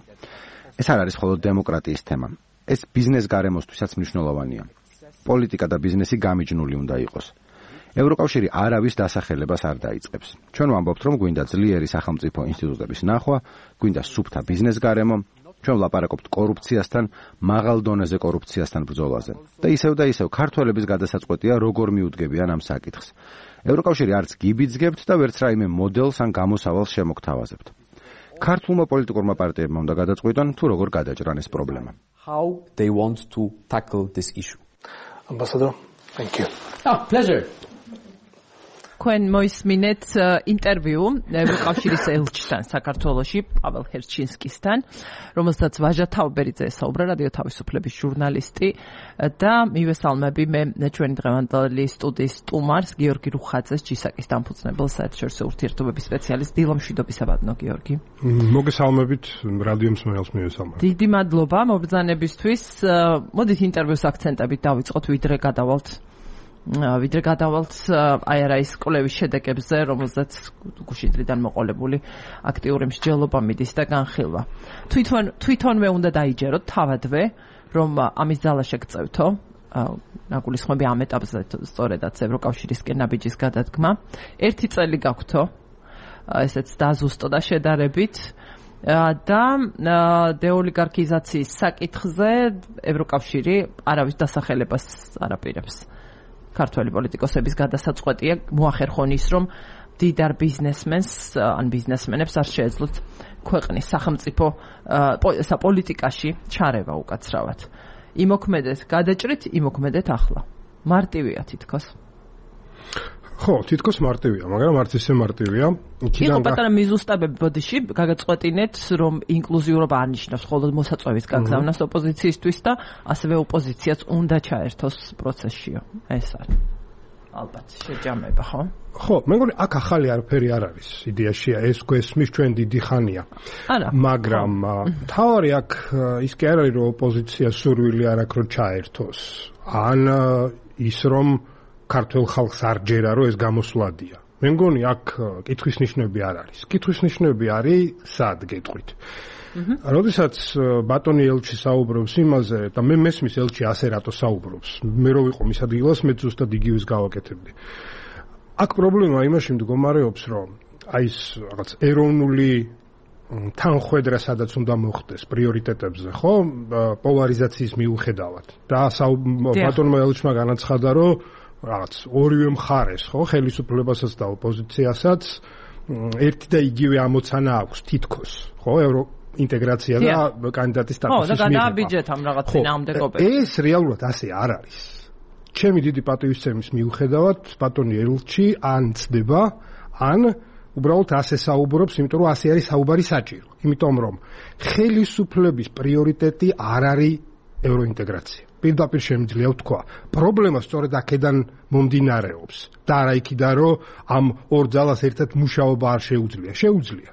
ეს არ არის მხოლოდ დემოკრატიის თემა. ეს ბიზნეს გარემოსთვისაც მნიშვნელოვანია. პოლიტიკა და ბიზნესი გამიჯნული უნდა იყოს. ევროკავშირი არავის დასახელებას არ დაიწყებს. ჩვენ ვამბობთ, რომ გვინდა ძლიერი სახელმწიფო ინსტიტუტების ნახვა, გვინდა სუფთა ბიზნეს გარემო, ჩვენ ვლაპარაკობთ კორუფციასთან, მაღალ დონეზე კორუფციასთან ბრძოლაზე. და ისევ ქართველების გადასაწყვეტია როგორ მიუდგებიან ამ საკითხს. ევროკავშირი არც გიბიძგებთ და ვერც რაიმე მოდელს ან გამოსავალს შემოგთავაზებთ. ქართულმა პოლიტიკურმა პარტიებმა უნდა გადაწყვიტონ, თუ როგორ გადაჭრან ეს პრობლემა. How they want to tackle this issue. Ambassador, thank you. Pleasure. თქვენ მოისმინეთ ინტერვიუ ევროკავშირის ელჩთან საქართველოში პაվել ჰერჩინსკისთან, რომელსაც ვაჟა თავბერიძე ესაუბრა, რადიო თავისუფლების ჟურნალისტი და მივესალმები მე ჩვენი დღევანდელი სტუდიის სტუმარს გიორგი რუხაძეს, ჯისაკის დამფუძნებელ საერთაშორისო ურთიერთობების სპეციალისტ. დილა მშვიდობისაბადნო გიორგი. მოგესალმებით რადიო მსმენელს მივესალმებ. დიდი მადლობა მობრძანებისთვის. მოდით ინტერვიუს აქცენტებით დავიწყოთ, ვიდრე გადავალთ აი არა ის კვლევის შედეგებზე, რომელზეც გუშინდლიდან მოყოლებული აქტიური მსჯელობა მიდის და განხილვა. თვითონვე უნდა დაიჯეროთ თავადვე, რომ ამის ძალა შეგწევთო, ნაგულისხმები ამ ეტაპზე სწორედაც ევროკავშირისკენ ნაბიჯის გადადგმა. 1 წელი გაგვთო, ესეც დაზუსტო და შედარებით. და დეოლიგარქიზაციის საკითხზე ევროკავშირი არავის დასახელებას არ აპირებს. ქართველი პოლიტიკოსების გადასაწყვეტია მოახერხონ ის, რომ დიდარ ბიზნესმენს ან ბიზნესმენებს არ შეეძლოთ ქვეყნის სახელმწიფო პოლიტიკაში ჩარევა უკაცრავად. იმოქმედეთ გადაჭრით, იმოქმედეთ ახლა. მარტივია თითქოს. ხო, თითქოს მარტივია, მაგრამ არც ისე მარტივია. იყო პატარა მიზუსტებები ბოდიში, გაგაწყვეტინეთ, რომ ინკლუზიურობა არ ნიშნავს მხოლოდ მოსაწვევის გაგზავნას ოპოზიციისთვის და ასევე ოპოზიციაც უნდა ჩაერთოს პროცესშიო. ეს არის. ალბათ შეჯამება, ხო? ხო, მე მგონი აქ ახალი არაფერი არ არის. იდეაშია ეს გვესმის ჩვენ დიდი ხანია. არა. მაგრამ თავარი აქ ის კი არ არის, რომ ოპოზიცია სურვილი არ აქვს რომ ჩაერთოს. ან ის რომ ქართულ ხალხს არ ჯერა რომ ეს გამოსვლადია. მე მგონი აქ კითხვის ნიშნები არ არის. კითხვის ნიშნები არის სად გეტყვით. როდესაც ბატონი ელჩი საუბრობს იმაზე და მე მესმის ელჩი ასე რატო საუბრობს. მე რო ვიყო მის ადგილას მე ზუსტად იგივეს გავაკეთებდი. აქ პრობლემა იმაში მდგომარეობს, რომ აი ეს რაღაც ეროვნული თანხვედრა სადაც უნდა მოხდეს პრიორიტეტებზე, ხო? პოლარიზაციის მიუხედავად. და ბატონმა ელჩმა განაცხადა, რომ რაღაც ორივე მხარეს, ხო, ხელისუფლებასაც და ოპოზიციასაც ერთი და იგივე ამოცანა აქვს თითქოს, ხო, ევროინტეგრაცია და კანდიდატის სტატუსის მიღება. ხო, და გადააბიჯეთ ამ რაღაც წინააღმდეგობებს. ეს რეალურად ასე არ არის. ჩემი დიდი პატივისცემის მიუხედავად, ბატონი ელჩი ან ცდება, ან უბრალოდ ასე საუბრობს, იმიტომ რომ ასე არის საუბარი საჭირო. იმიტომ რომ ხელისუფლების პრიორიტეტი არ არის ევროინტეგრაცია. პირდაპირ შემიძლია ვთქვა. პრობლემა სწორედ აქედან მომდინარეობს. და არა იქიდან, რომ ამ ორ ძალას ერთად მუშაობა არ შეუძლია. შეუძლია.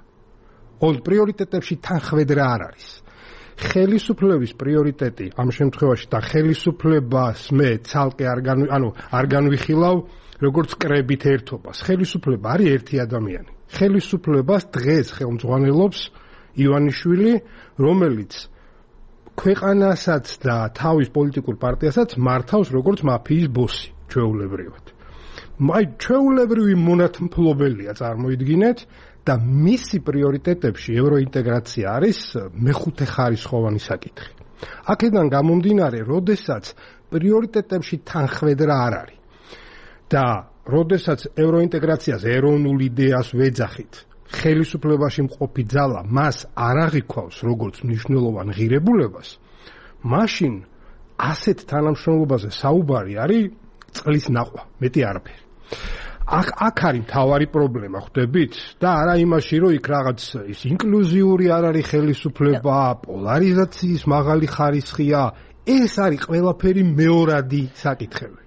ოღონდ პრიორიტეტებში თანხwebdra არ არის. ხელისუფლების პრიორიტეტი ამ შემთხვევაში და ხელისუფლებას მე ცალკე არ განვიხილავ როგორც კრებით ერთობას. ხელისუფლება არის ერთი ადამიანი. ხელისუფლებას დღეს ხელმძღვანელობს ივანიშვილი, რომელიც ქვეყანასაც და თავის პოლიტიკურ პარტიასაც მართავს როგორც მაფიის ბოსი, ჩვეულებრივად. აი, ჩვეულებრივი მონათმფლობელია, წარმოიდგინეთ, და მისი პრიორიტეტებში ევროინტეგრაცია არის მეხუთე ხარისხოვანი საკითხი. აქედან გამომდინარე, როდესაც პრიორიტეტებში თანხმედრა არ არის და როდესაც ევროინტეგრაციას ეროვნულ იდეას ვეძახით, ხელისუფლებაში მყოფი ძალა მას არ აღიქვავს როგორც მნიშვნელოვან ღირებულებას, მაშინ ასეთ თანამშრომლობაზე საუბარი არის წყლის ნახვა, მეტი არაფერი. აქ არის მთავარი პრობლემა, ხვდებით? და არა იმაში, რომ იქ რაღაც ის ინკლუზიური არ არის ხელისუფლება, პოლარიზაციის მაღალი ხარისხია, ეს არის ყველაფერი მეორადი საკითხები.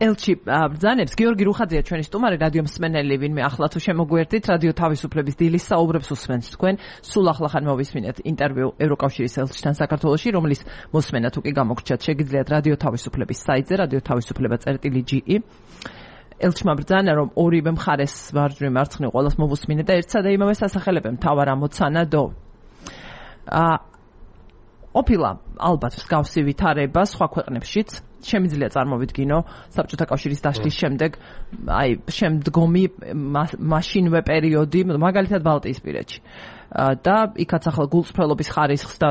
ელჩი ბრძანებს გიორგი რუხაძეა ჩვენი სტუმარი, რადიო მსმენელი, ვინმე ახლა თუ შემოგვერთით, რადიო თავისუფლების დილის საუბრებს უსმენთ თქვენ. სულ ახლახან მოვისმინეთ ინტერვიუ ევროკავშირის ელჩთან საქართველოში, რომლის მოსმენა თუ კი გამოგრჩათ, შეგიძლიათ რადიო თავისუფლების საიტზე, რადიო თავისუფლება.ge. ელჩმა ბრძანა, რომ ორივე მხარეს მარჯვნივ მარცხნივ ყველას მოვუსმინე და ერთსა და იმავე სასახელებენ მთავარ ამოცანა დო. ყოფილა ალბათ მსგავსი ვითარება სხვა ქვეყნებშიც, შემიძლია წარმოვიდგინო საბჭოთა კავშირის დაშლის შემდეგ, აი შემდგომი მაშინვე პერიოდი, მაგალითად ბალტიისპირეთში. და იქაც ახლა გულწრფელობის ხარისხს და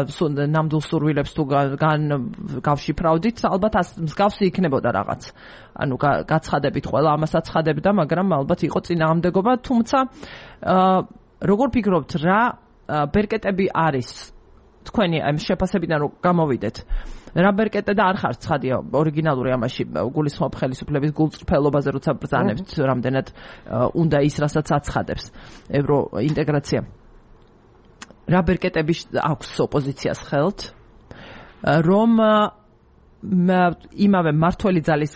ნამდვილ სურვილებს თუ გავშიფრავდით, ალბათ მსგავსი იქნებოდა რაღაც. ანუ გაცხადებით ყველა ამას აცხადებდა, მაგრამ ალბათ იყო წინააღმდეგობა, თუმცა როგორ ფიქრობთ, რა ბერკეტები არის თქვენი ამ შეფასებიდან რომ გამოვიდეთ? რა ბერკეტე და არ ხარ ცხადია ორიგინალური ამაში გულისხმობ ხელისუფლების გულწრფელობაზე, როცა ბრძანებთ რამდენად უნდა ის რასაც აცხადებს ევროინტეგრაცია. რა ბერკეტები აქვს ოპოზიციას ხელთ, რომ იმავე მართველი ძალის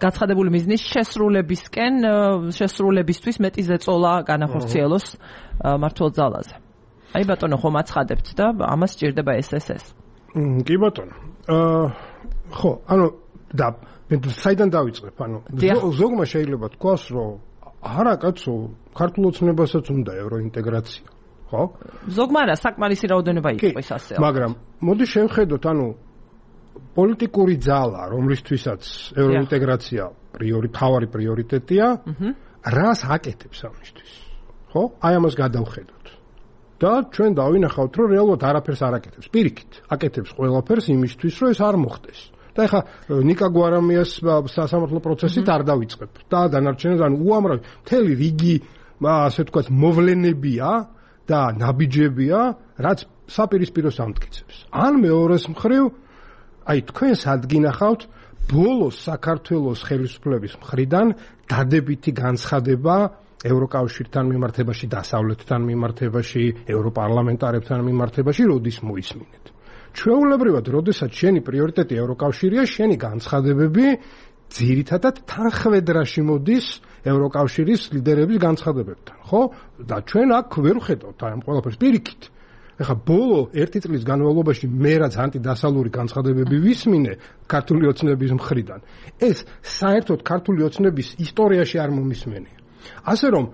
გაცხადებული მიზნის შესრულებისთვის მეტი ზეწოლა განახორციელოს მართლ ძალაზე. აი ბატონო, ხომ აცხადებთ და ამას სჭირდება SSS. კი ბატონო. ხო, ანუ და საიდან დავიწყებ? ანუ ზოგმა შეიძლება თქვას, რომ არა კაცო, ქართულ ოცნებასაც უნდა ევროინტეგრაცია. ხო? ზოგმა არა, საკმარისი რაოდენობა იყოს ასე. მაგრამ მოდი შევხედოთ, ანუ პოლიტიკური ძალა, რომლისთვისაც ევროინტეგრაცია თავარი პრიორიტეტია, რას აკეთებს ამისთვის? ხო? აი ამას გადავხედოთ. და ჩვენ დავინახავთ, რომ რეალურად არაფერს არ აკეთებს. პირიქით, აკეთებს ყველაფერს იმისთვის, რომ ეს არ მოხდეს. და ეხლა ნიკა გვარამიას სასამართლო პროცესით არ დავიწყებ. და დანარჩენად ანუ უამრავი მთელი რიგი ასე ვთქვათ მოვლენებია და ნაბიჯებია, რაც საპირისპიროს ამტკიცებს. ან მეორეს მხრივ, აი თქვენ სადგინახავთ ბოლოს საქართველოს ხელისუფლების მხრიდან დადებითი განცხადება ევროკავშირთან მიმართებაში, დასავლეთთან მიმართებაში, ევროპარლამენტარებთან მიმართებაში, როდის მოისმინეთ. ჩვეულებრივად, როდესაც შენი პრიორიტეტი ევროკავშირია, შენი განცხადებები ძირითადად თანხმედრაში მოდის ევროკავშირის ლიდერების განცხადებებთან, ხო? და ჩვენ აქ ვერ ვხედავთ ამ ყველაფერს პირიქით. ეხლა ბოლო 1 წლის განმავლობაში მე რაც ანტიდასალური განცხადებები ვისმინე ქართული ოცნების მხრიდან, ეს საერთოდ ქართული ოცნების ისტორიაში არ მომისმენია. ასე რომ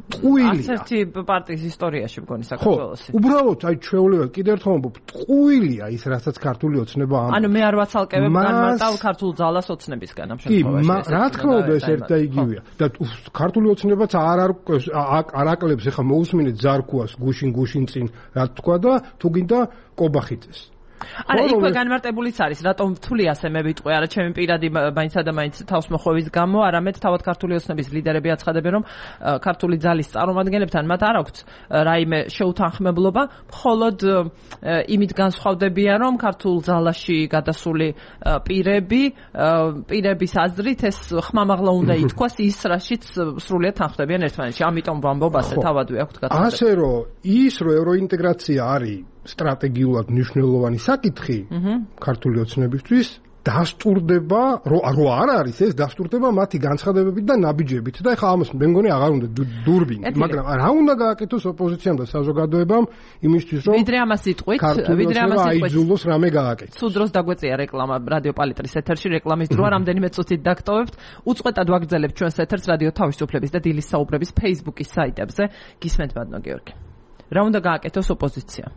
ტყუილია. ასეთი პარტიის ისტორიაში მგონი საქართველოს. ხო, უბრალოდ აი ჩვეულებრივად კიდევ ერთხელ ვამბობ, ტყუილია ის, რასაც ქართული ოცნება ამბობს. ანუ მე არ ვაცალკევებ განმარტავ ქართულ ძალას ოცნებისგან ამ შემთხვევაში. კი, რა თქმა უნდა ეს ერთ და იგივეა. და ქართული ოცნებაც არ აკლებს, ეხლა მოусმინეთ ზარქუას გუშინ წინ რა თქვა და თუ გინდა კობახიძეს. არა, იქვე განმარტებულიც არის, რატომ თვლი ასე მე ვიტყვი, არა ჩემი პირადი მაინცსა და მაინც თავსმოხვევის გამო, არამედ თავად ქართული ოცნების ლიდერები აცხადებენ, რომ ქართული ძალის წარმომადგენლებთან მათ არ აქვთ რაიმე შეუთანხმებლობა, მხოლოდ იმით განსხვავდებიან, რომ ქართულ ძალაში გადასული პირების აზრით ეს ხმამაღლა უნდა ითქვას ის, რაშიც სრულიად თანხმდებიან ერთმანეთში. ამიტომ ვამბობ ასე, თავადვე აქვთ გაცილება. ასე რომ ის რომ ევროინტეგრაცია არის სტრატეგიულად მნიშვნელოვანი საკითხი ქართული ოცნებისთვის, დასტურდება, რო არ არის ეს დასტურდება მათი განცხადებებით და ნაბიჯებით და ეხლა ამას მე მგონი აღარ უნდა დურბინი, მაგრამ რა უნდა გააკეთოს ოპოზიციამ და საზოგადოებამ იმისთვის რომ ვიდრე ამას იტყვით, აიძულოს რამე გააკეთოს. სულ დროს დაგვეწია რეკლამა რადიო პალიტრის ეთერში, რეკლამის დროა, რამდენიმე წუთით დაგტოვებთ. უწყვეტად ვაგრძელებთ ჩვენს ეთერს რადიო თავისუფლების და დილის საუბრების Facebook-ის საიტებზე. გისმენთ ბატონო გიორგი. რა უნდა გააკეთოს ოპოზიცია?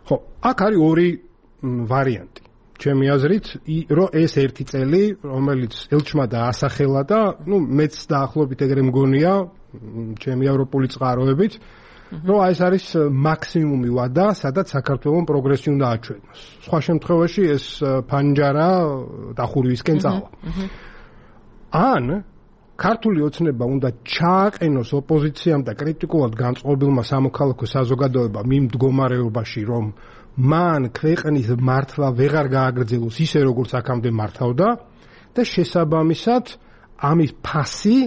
ხო, აქ არის ორი ვარიანტი. ჩემი აზრით, რომ ეს ერთი წელი, რომელიც ელჩმა დაასახელა და, მეც დაახლოებით ეგრე მგონია, ჩემი ევროპული წყაროებით, რომ აი ეს არის მაქსიმუმი ვადა, სადაც საქართველოს პროგრესი უნდა აჩვენოს. სხვა შემთხვევაში ეს ფანჯარა დახურვისკენ წავა. ან ქართული ოცნება უნდა ჩააყენოს ოპოზიციამ და კრიტიკულად განწყობილმა სამოქალაქო საზოგადოებამ იმ მდგომარეობაში, რომ მან ქვეყნის მართვა ვეღარ გააგრძელოს ისე როგორც აქამდე მართავდა და შესაბამისად ამის ფასი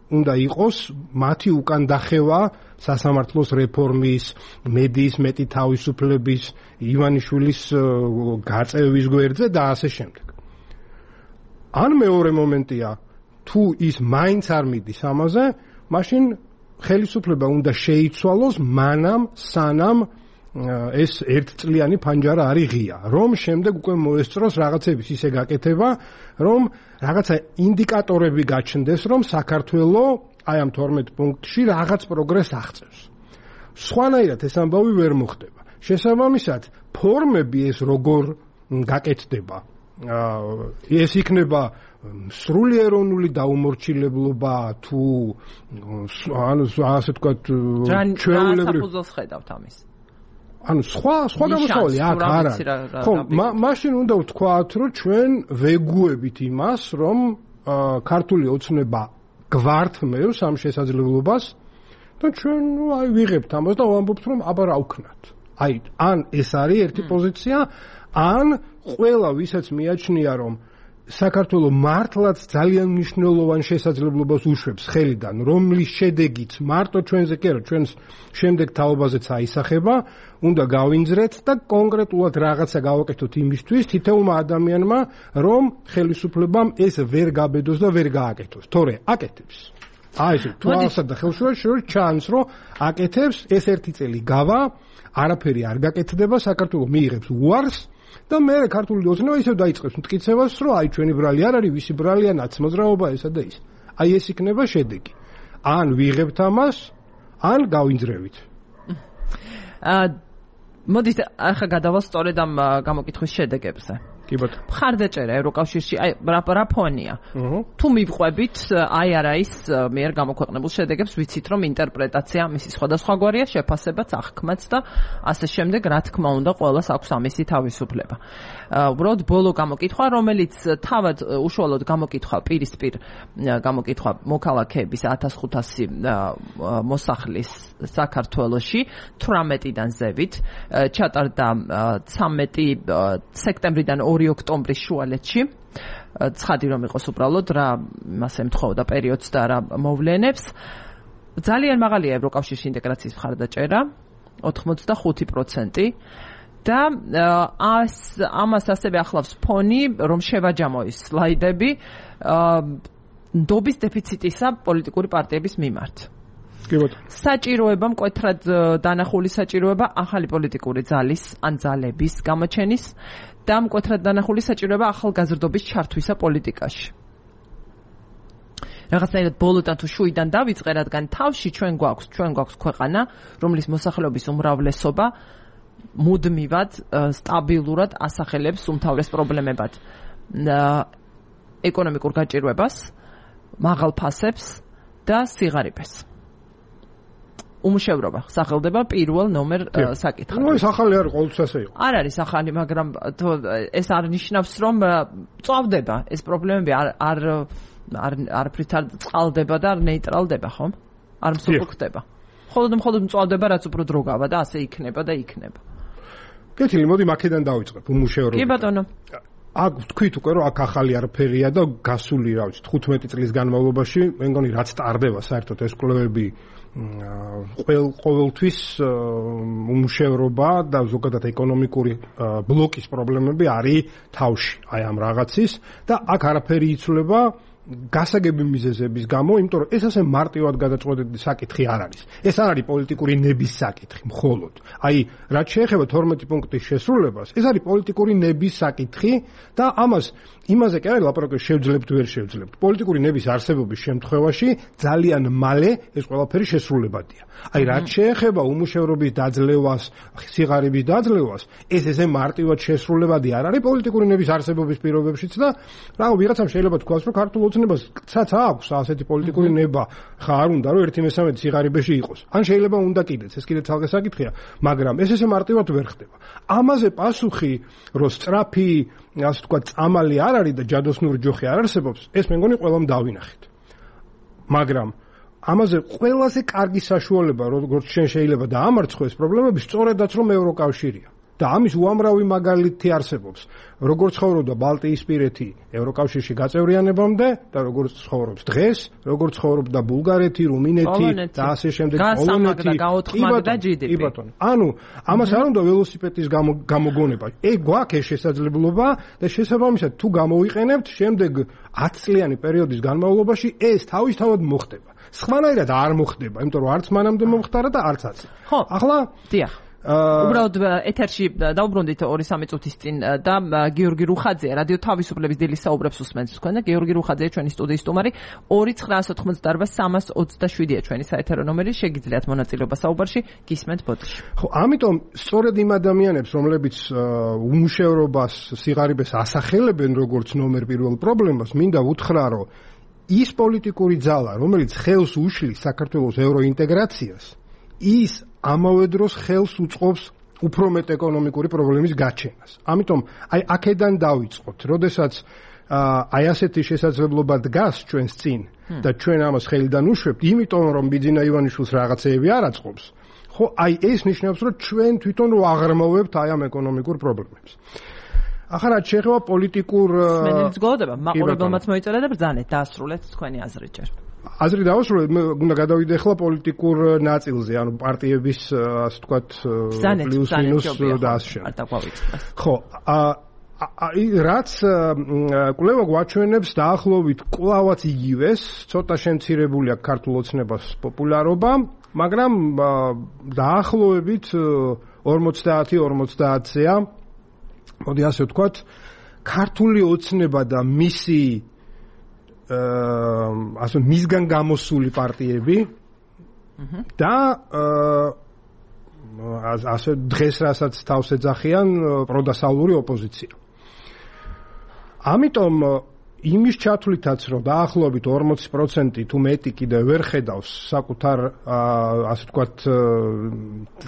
უნდა იყოს მათი უკან დახევა სასამართლოს რეფორმის, მედიის მეტი თავისუფლების, ივანიშვილის გაწევის გვერდზე და ასე შემდეგ. ან მეორე მომენტია, თუ ის მაინც არ მიდის ამაზე, მაშინ ხელისუფლება უნდა შეიცვალოს მანამ სანამ ეს ერთწლიანი ფანჯარა არის ღია, რომ შემდეგ უკვე მოესწროს რაღაცების ისე გაკეთება, რომ რაღაცა ინდიკატორები გაჩნდეს, რომ საქართველოს აი ამ 12 პუნქტში რაღაც პროგრესს აღწევს. სხვანაირად ეს ამბავი ვერ მოხდება. შესაბამისად, ფორმები ეს როგორ გაკეთდება? ეს იქნება სრული ეროვნული დაუმორჩილებლობა თუ ანუ ასე ვთქვათ ჩვეულებრივი საფუძველს ხედავთ ამის. ანუ სხვა გამოსავალი აქ არ არის. ხო, მაშინ უნდა ვთქვათ, რომ ჩვენ ვეგუებით იმას, რომ ქართული ოცნება გვართმევს ამ შესაძლებლობას და ჩვენ აი ვიღებთ ამას და ვამბობთ, რომ აბა რა ვქნათ. აი, ან ეს არის ერთი პოზიცია, ან ყველა ვისაც მიაჩნია, რომ საქართველოს მართლაც ძალიან მნიშვნელოვან შესაძლებლობას უშვებს ხელიდან, რომლის შედეგიც მარტო ჩვენზე კი არა, ჩვენს შემდეგ თაობაზეც აისახება, უნდა გავინძრეთ და კონკრეტულად რაღაცა გავაკეთოთ იმისთვის თითოეულმა ადამიანმა, რომ ხელისუფლებამ ეს ვერ გაბედოს და ვერ გააკეთოს. თორე აკეთებს. აი ეს თვალსა და ხელშეუხლოს ჩანს, რომ აკეთებს, ეს ერთი წელი გავა, არაფერი არ გაკეთდება, საქართველოს მიიღებს უარს და მე ქართული ოცნება ისევ დაიწყებს მტკიცებას, რომ აი ჩვენი ბრალი არ არის, ვისი ბრალია, ნაცმოძრაობა ესა და ის. აი ეს იქნება შედეგი. ან ვიღებთ ამას, ან გავინძრევით. მოდით ახლა გადავალ სწორედ ამ გამოკითხვის შედეგებზე. კი ბატონო. მხარდაჭერა ევროკავშირში, აი რა ფონია? თუ მივყვებით, აი არა ის მიერ გამოქვეყნებულ შედეგებს ვიცით, რომ ინტერპრეტაცია მისი სხვადასხვაგვარია, შეფასებაც, აღქმაც და ასე შემდეგ, რა თქმა უნდა, ყველას აქვს ამისი თავისუფლება. უბრალოდ ბოლო გამოკითხვა, რომელიც თავად უშუალოდ გამოკითხვა პირისპირ გამოკითხვა მოქალაქეების 1500 მოსახლის საქართველოში 18-დან ზევით ჩატარდა 13 სექტემბრიდან 2 ოქტომბრის შუალედში. ცხადი რომ იყოს უბრალოდ რა მას ემთხოვდა პერიოდს და რა მოვლენებს. ძალიან მაღალია ევროკავშირში ინტეგრაციის მხარდაჭერა 85% და ამას ასევე ახლავს ფონი, რომ შევაჯამო ის სლაიდები ნდობის დეფიციტისა პოლიტიკური პარტიების მიმართ. საჭიროება მკვეთრად დანახული საჭიროება ახალი პოლიტიკური ძალის ან ძალების გამოჩენის და მკვეთრად დანახული საჭიროება ახალგაზრდობის ჩართვისა პოლიტიკაში. რაღაცნაირად ბოლოდან თუ შუიდან დავიწყე, რადგან თავში ჩვენ გვაქვს ქვეყანა, რომლის მოსახლეობის უმრავლესობა მუდმივად სტაბილურად ასახელებს უმთავრეს პრობლემებად ეკონომიკურ გაჭირვებას, მაღალ ფასებს და სიღარიბეს. უმუშევრობა სახელდება პირველ ნომერ საკითხად. ეს ახალი არის, ყოველთვის ასე იყო. არ არის ახალი, მაგრამ ეს არ ნიშნავს, რომ წავდება ეს პრობლემები არაფრით არ წყალდება და არ ნეიტრალდება, ხომ? არ მსუბუქდება. მხოლოდ მწვავდება, რაც უფრო დრო გავა და ასე იქნება და იქნება. კეთილი, მოდი აქედან დავიწყებ უმუშევრობა. კი ბატონო. აქ თქვით უკვე რომ აქ ახალი არაფერია და გასული რა ვიცი 15 წლის განმავლობაში მე მგონი რაც ტარდება საერთოდ ეს კვლევები ყოველთვის უმუშევრობა და ზოგადად ეკონომიკური ბლოკის პრობლემები არის თავში აი ამ რაღაცის და აქ არაფერი იცვლება გასაგები მიზეზების გამო, იმიტომ რომ ეს ასე მარტივად გადაწყვეტილი საკითხი არ არის. ეს არ არის პოლიტიკური ნების საკითხი მხოლოდ. აი, რაც შეეხება 12 პუნქტის შესრულებას, ეს არის პოლიტიკური ნების საკითხი და იმაზე კი არის ლაპარაკი შევძლებთ ვერ შევძლებთ. პოლიტიკური ნების არსებობის შემთხვევაში ძალიან მალე ეს ყველაფერი შესრულებადია. აი, რაც შეეხება უმუშევრობის დაძლევას, სიღარიბის დაძლევას, ეს ესე მარტივად შესრულებადი არ არის პოლიტიკური ნების არსებობის პირობებშიც და რა ვიღაცამ შეიძლება თქვას, რომ ქართულ ოცნებასაც აქვს ასეთი პოლიტიკური ნება, ხა არ უნდა რომ 1/13 სიღარიბეში იყოს. ან შეიძლება უნდა კიდეც, ეს კიდე ცალკე საკითხია, მაგრამ ეს მარტივად ვერ ხდება. ამაზე პასუხი, რომ სწრაფი, ასე ვთქვათ, წამალი არ არის და ჯადოსნური ჯოხი არ არსებობს, ეს მე მგონი ყველამ დავინახეთ. მაგრამ ამაზე ყველაზე კარგი საშუალება, როგორც შეიძლება დაამარცხო ეს პრობლემები, სწორედაც რომ ევროკავშირია. და ამის უამრავი მაგალითი არსებობს. როგორც ცხოვრობდა ბალტიისპირეთი ევროკავშირში გაწევრიანებამდე და როგორც ცხოვრობს დღეს, როგორც ცხოვრობდა ბულგარეთი, რუმინეთი და ასე შემდეგ პოლონეთი, გაოთხმადა და GDP. ანუ ამას არ უნდა ველოსიპედის გამოგონება. გვაქვს შესაძლებლობა და შესაბამისად თუ გამოვიყენებთ, შემდეგ 10 წლიანი პერიოდის განმავლობაში ეს თავისთავად მოხდება. სხვანაირად არ მოხდება, იმიტომ რომ არც მანამდე მომხდარა და არც აცი. ხო, ახლა დიახ. უბრალოდ ეთერში დაუბრუნდით 2-3 წუთის წინ და გიორგი რუხაძე რადიო თავისუფლების დილის საუბრებს უსმენთ თქვენ და გიორგი რუხაძე ჩვენი სტუდიის სტუმარი 2988327-ია ჩვენი საეთერო ნომერი, შეგიძლიათ მონაწილეობა საუბარში, გისმენთ ბოდიში. ხო, ამიტომ სწორედ იმ ადამიანებს, რომლებიც უმუშევრობას, სიღარიბეს ასახელებენ როგორც ნომერ პირველ პრობლემას, მინდა უთხრა, რომ ის პოლიტიკური ძალა, რომელიც ხელს უშლის საქართველოს ევროინტეგრაციას, ის ამავე დროს ხელს უწყობს უფრო მეტ ეკონომიკური პრობლემის გაჩენას. ამიტომ აი აქედან დავიწყოთ, როდესაც აი ასეთი შესაძლებლობა დგას ჩვენს წინ და ჩვენ ამას ხელიდან უშვებთ, იმიტომ რომ ბიძინა ივანიშვილს რაღაცეები არ აწყობს. ხო, აი ეს ნიშნავს, რომ ჩვენ თვითონ რო აღრმავებთ აი ამ ეკონომიკურ პრობლემებს. ახლა რაც შეეხება პოლიტიკურ სმენელიც გოლდება, მაყურებელმაც მოიწერა და ბრძანეთ დაასრულეთ თქვენი აზრი ჯერ. აზრი დავასრულეთ, მე უნდა გადავიდე ახლა პოლიტიკურ ნაწილზე, ანუ პარტიების, ასე ვთქვათ, პლუს მინუს და ასე შემდეგ. ხო, რაც კვლევა გვაჩვენებს დაახლოებით კვლავაც იგივეს, ცოტა შემცირებული აქვს ქართულ ოცნებას პოპულარობა, მაგრამ დაახლოებით 50-50-ია. მოდი ასე ვთქვათ, ქართული ოცნება და მისი ასე მისგან გამოსული პარტიები და ასე დღეს რასაც თავს ეძახიან პროდასავლური ოპოზიცია. ამიტომ იმის ჩათვლითაც რომ დაახლოებით 40% თუ მეტი კიდევ ვერ ხედავს საკუთარ ასე ვთქვათ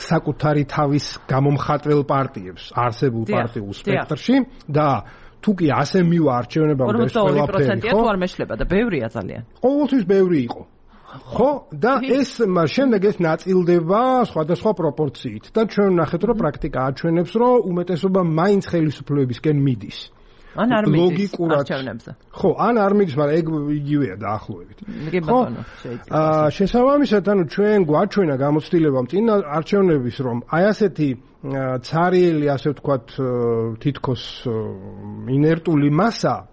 საკუთარი თავის გამომხატველ პარტიებს არსებულ პარტიულ სპექტრში და თუ კი ასე მივა არჩევნებამდე ეს ყველაფერი, ხო? 42%-ია თუ არ მეშლება და ბევრია ძალიან. ყოველთვის ბევრი იყო. ხო, და ეს შემდეგ ეს ნაწილდება სხვადასხვა პროპორციით და ჩვენ ვნახეთ, რომ პრაქტიკა აჩვენებს, რომ უმეტესობა მაინც ხელისუფლებისკენ მიდის. ან არ მიდის არჩევნებზე. ხო, ან არ მიდის, მაგრამ ეგ იგივეა დაახლოებით. ხო, შესაბამისად, ანუ ჩვენ გვაჩვენა გამოცდილება წინ არჩევნების, რომ აი ასეთი ცარიელი, ასე ვთქვათ, თითქოს ინერტული მასა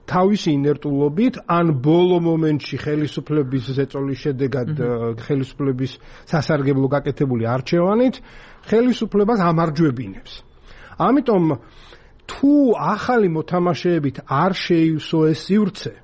თავისი ინერტულობით ან ბოლო მომენტში ხელისუფლების ზეწოლის შედეგად ხელისუფლების სასარგებლო გაკეთებული არჩევანით ხელისუფლებას ამარჯვებინებს. ამიტომ თუ ახალი მოთამაშეებით არ შეივსო ეს სივრცე,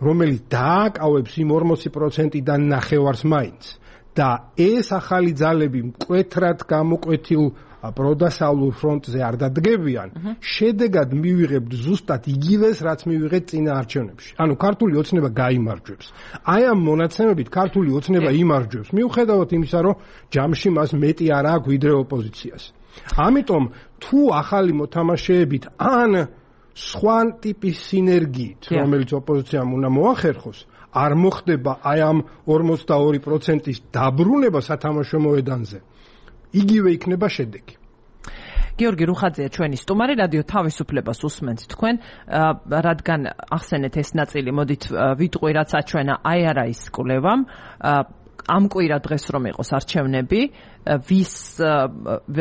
რომელიც დააკავებს იმ 40%-დან ნახევარს მაინც და ეს ახალი ძალები მკვეთრად გამოკვეთილ პროდასავლურ ფრონტზე არ დადგებიან, შედეგად მივიღებთ ზუსტად იგივეს, რაც მივიღეთ წინა არჩევნებში. ანუ ქართული ოცნება გაიმარჯვებს. აი ამ მონაცემებით ქართული ოცნება იმარჯვებს, მიუხედავად იმისა, რომ ჯამში მას მეტი არ აქვს ვიდრე ოპოზიციას. ამიტომ თუ ახალი მოთამაშეებით ან სხვა ტიპის სინერგიით, რომელიც ოპოზიციამ უნდა მოახერხოს, არ მოხდება აი ამ 42%-ის დაბრუნება სათამაშო მოედანზე. იგივე იქნება შედეგი. გიორგი რუხაძეა ჩვენი სტუმარი, რადიო თავისუფლებას უსმენთ თქვენ, რადგან ახსენეთ ეს ნაწილი, მოდით ვიტყვი, რაც აჩვენა IRI-ის კვლევამ, ამ კვირა დღეს რომ იყოს არჩევნები, ვის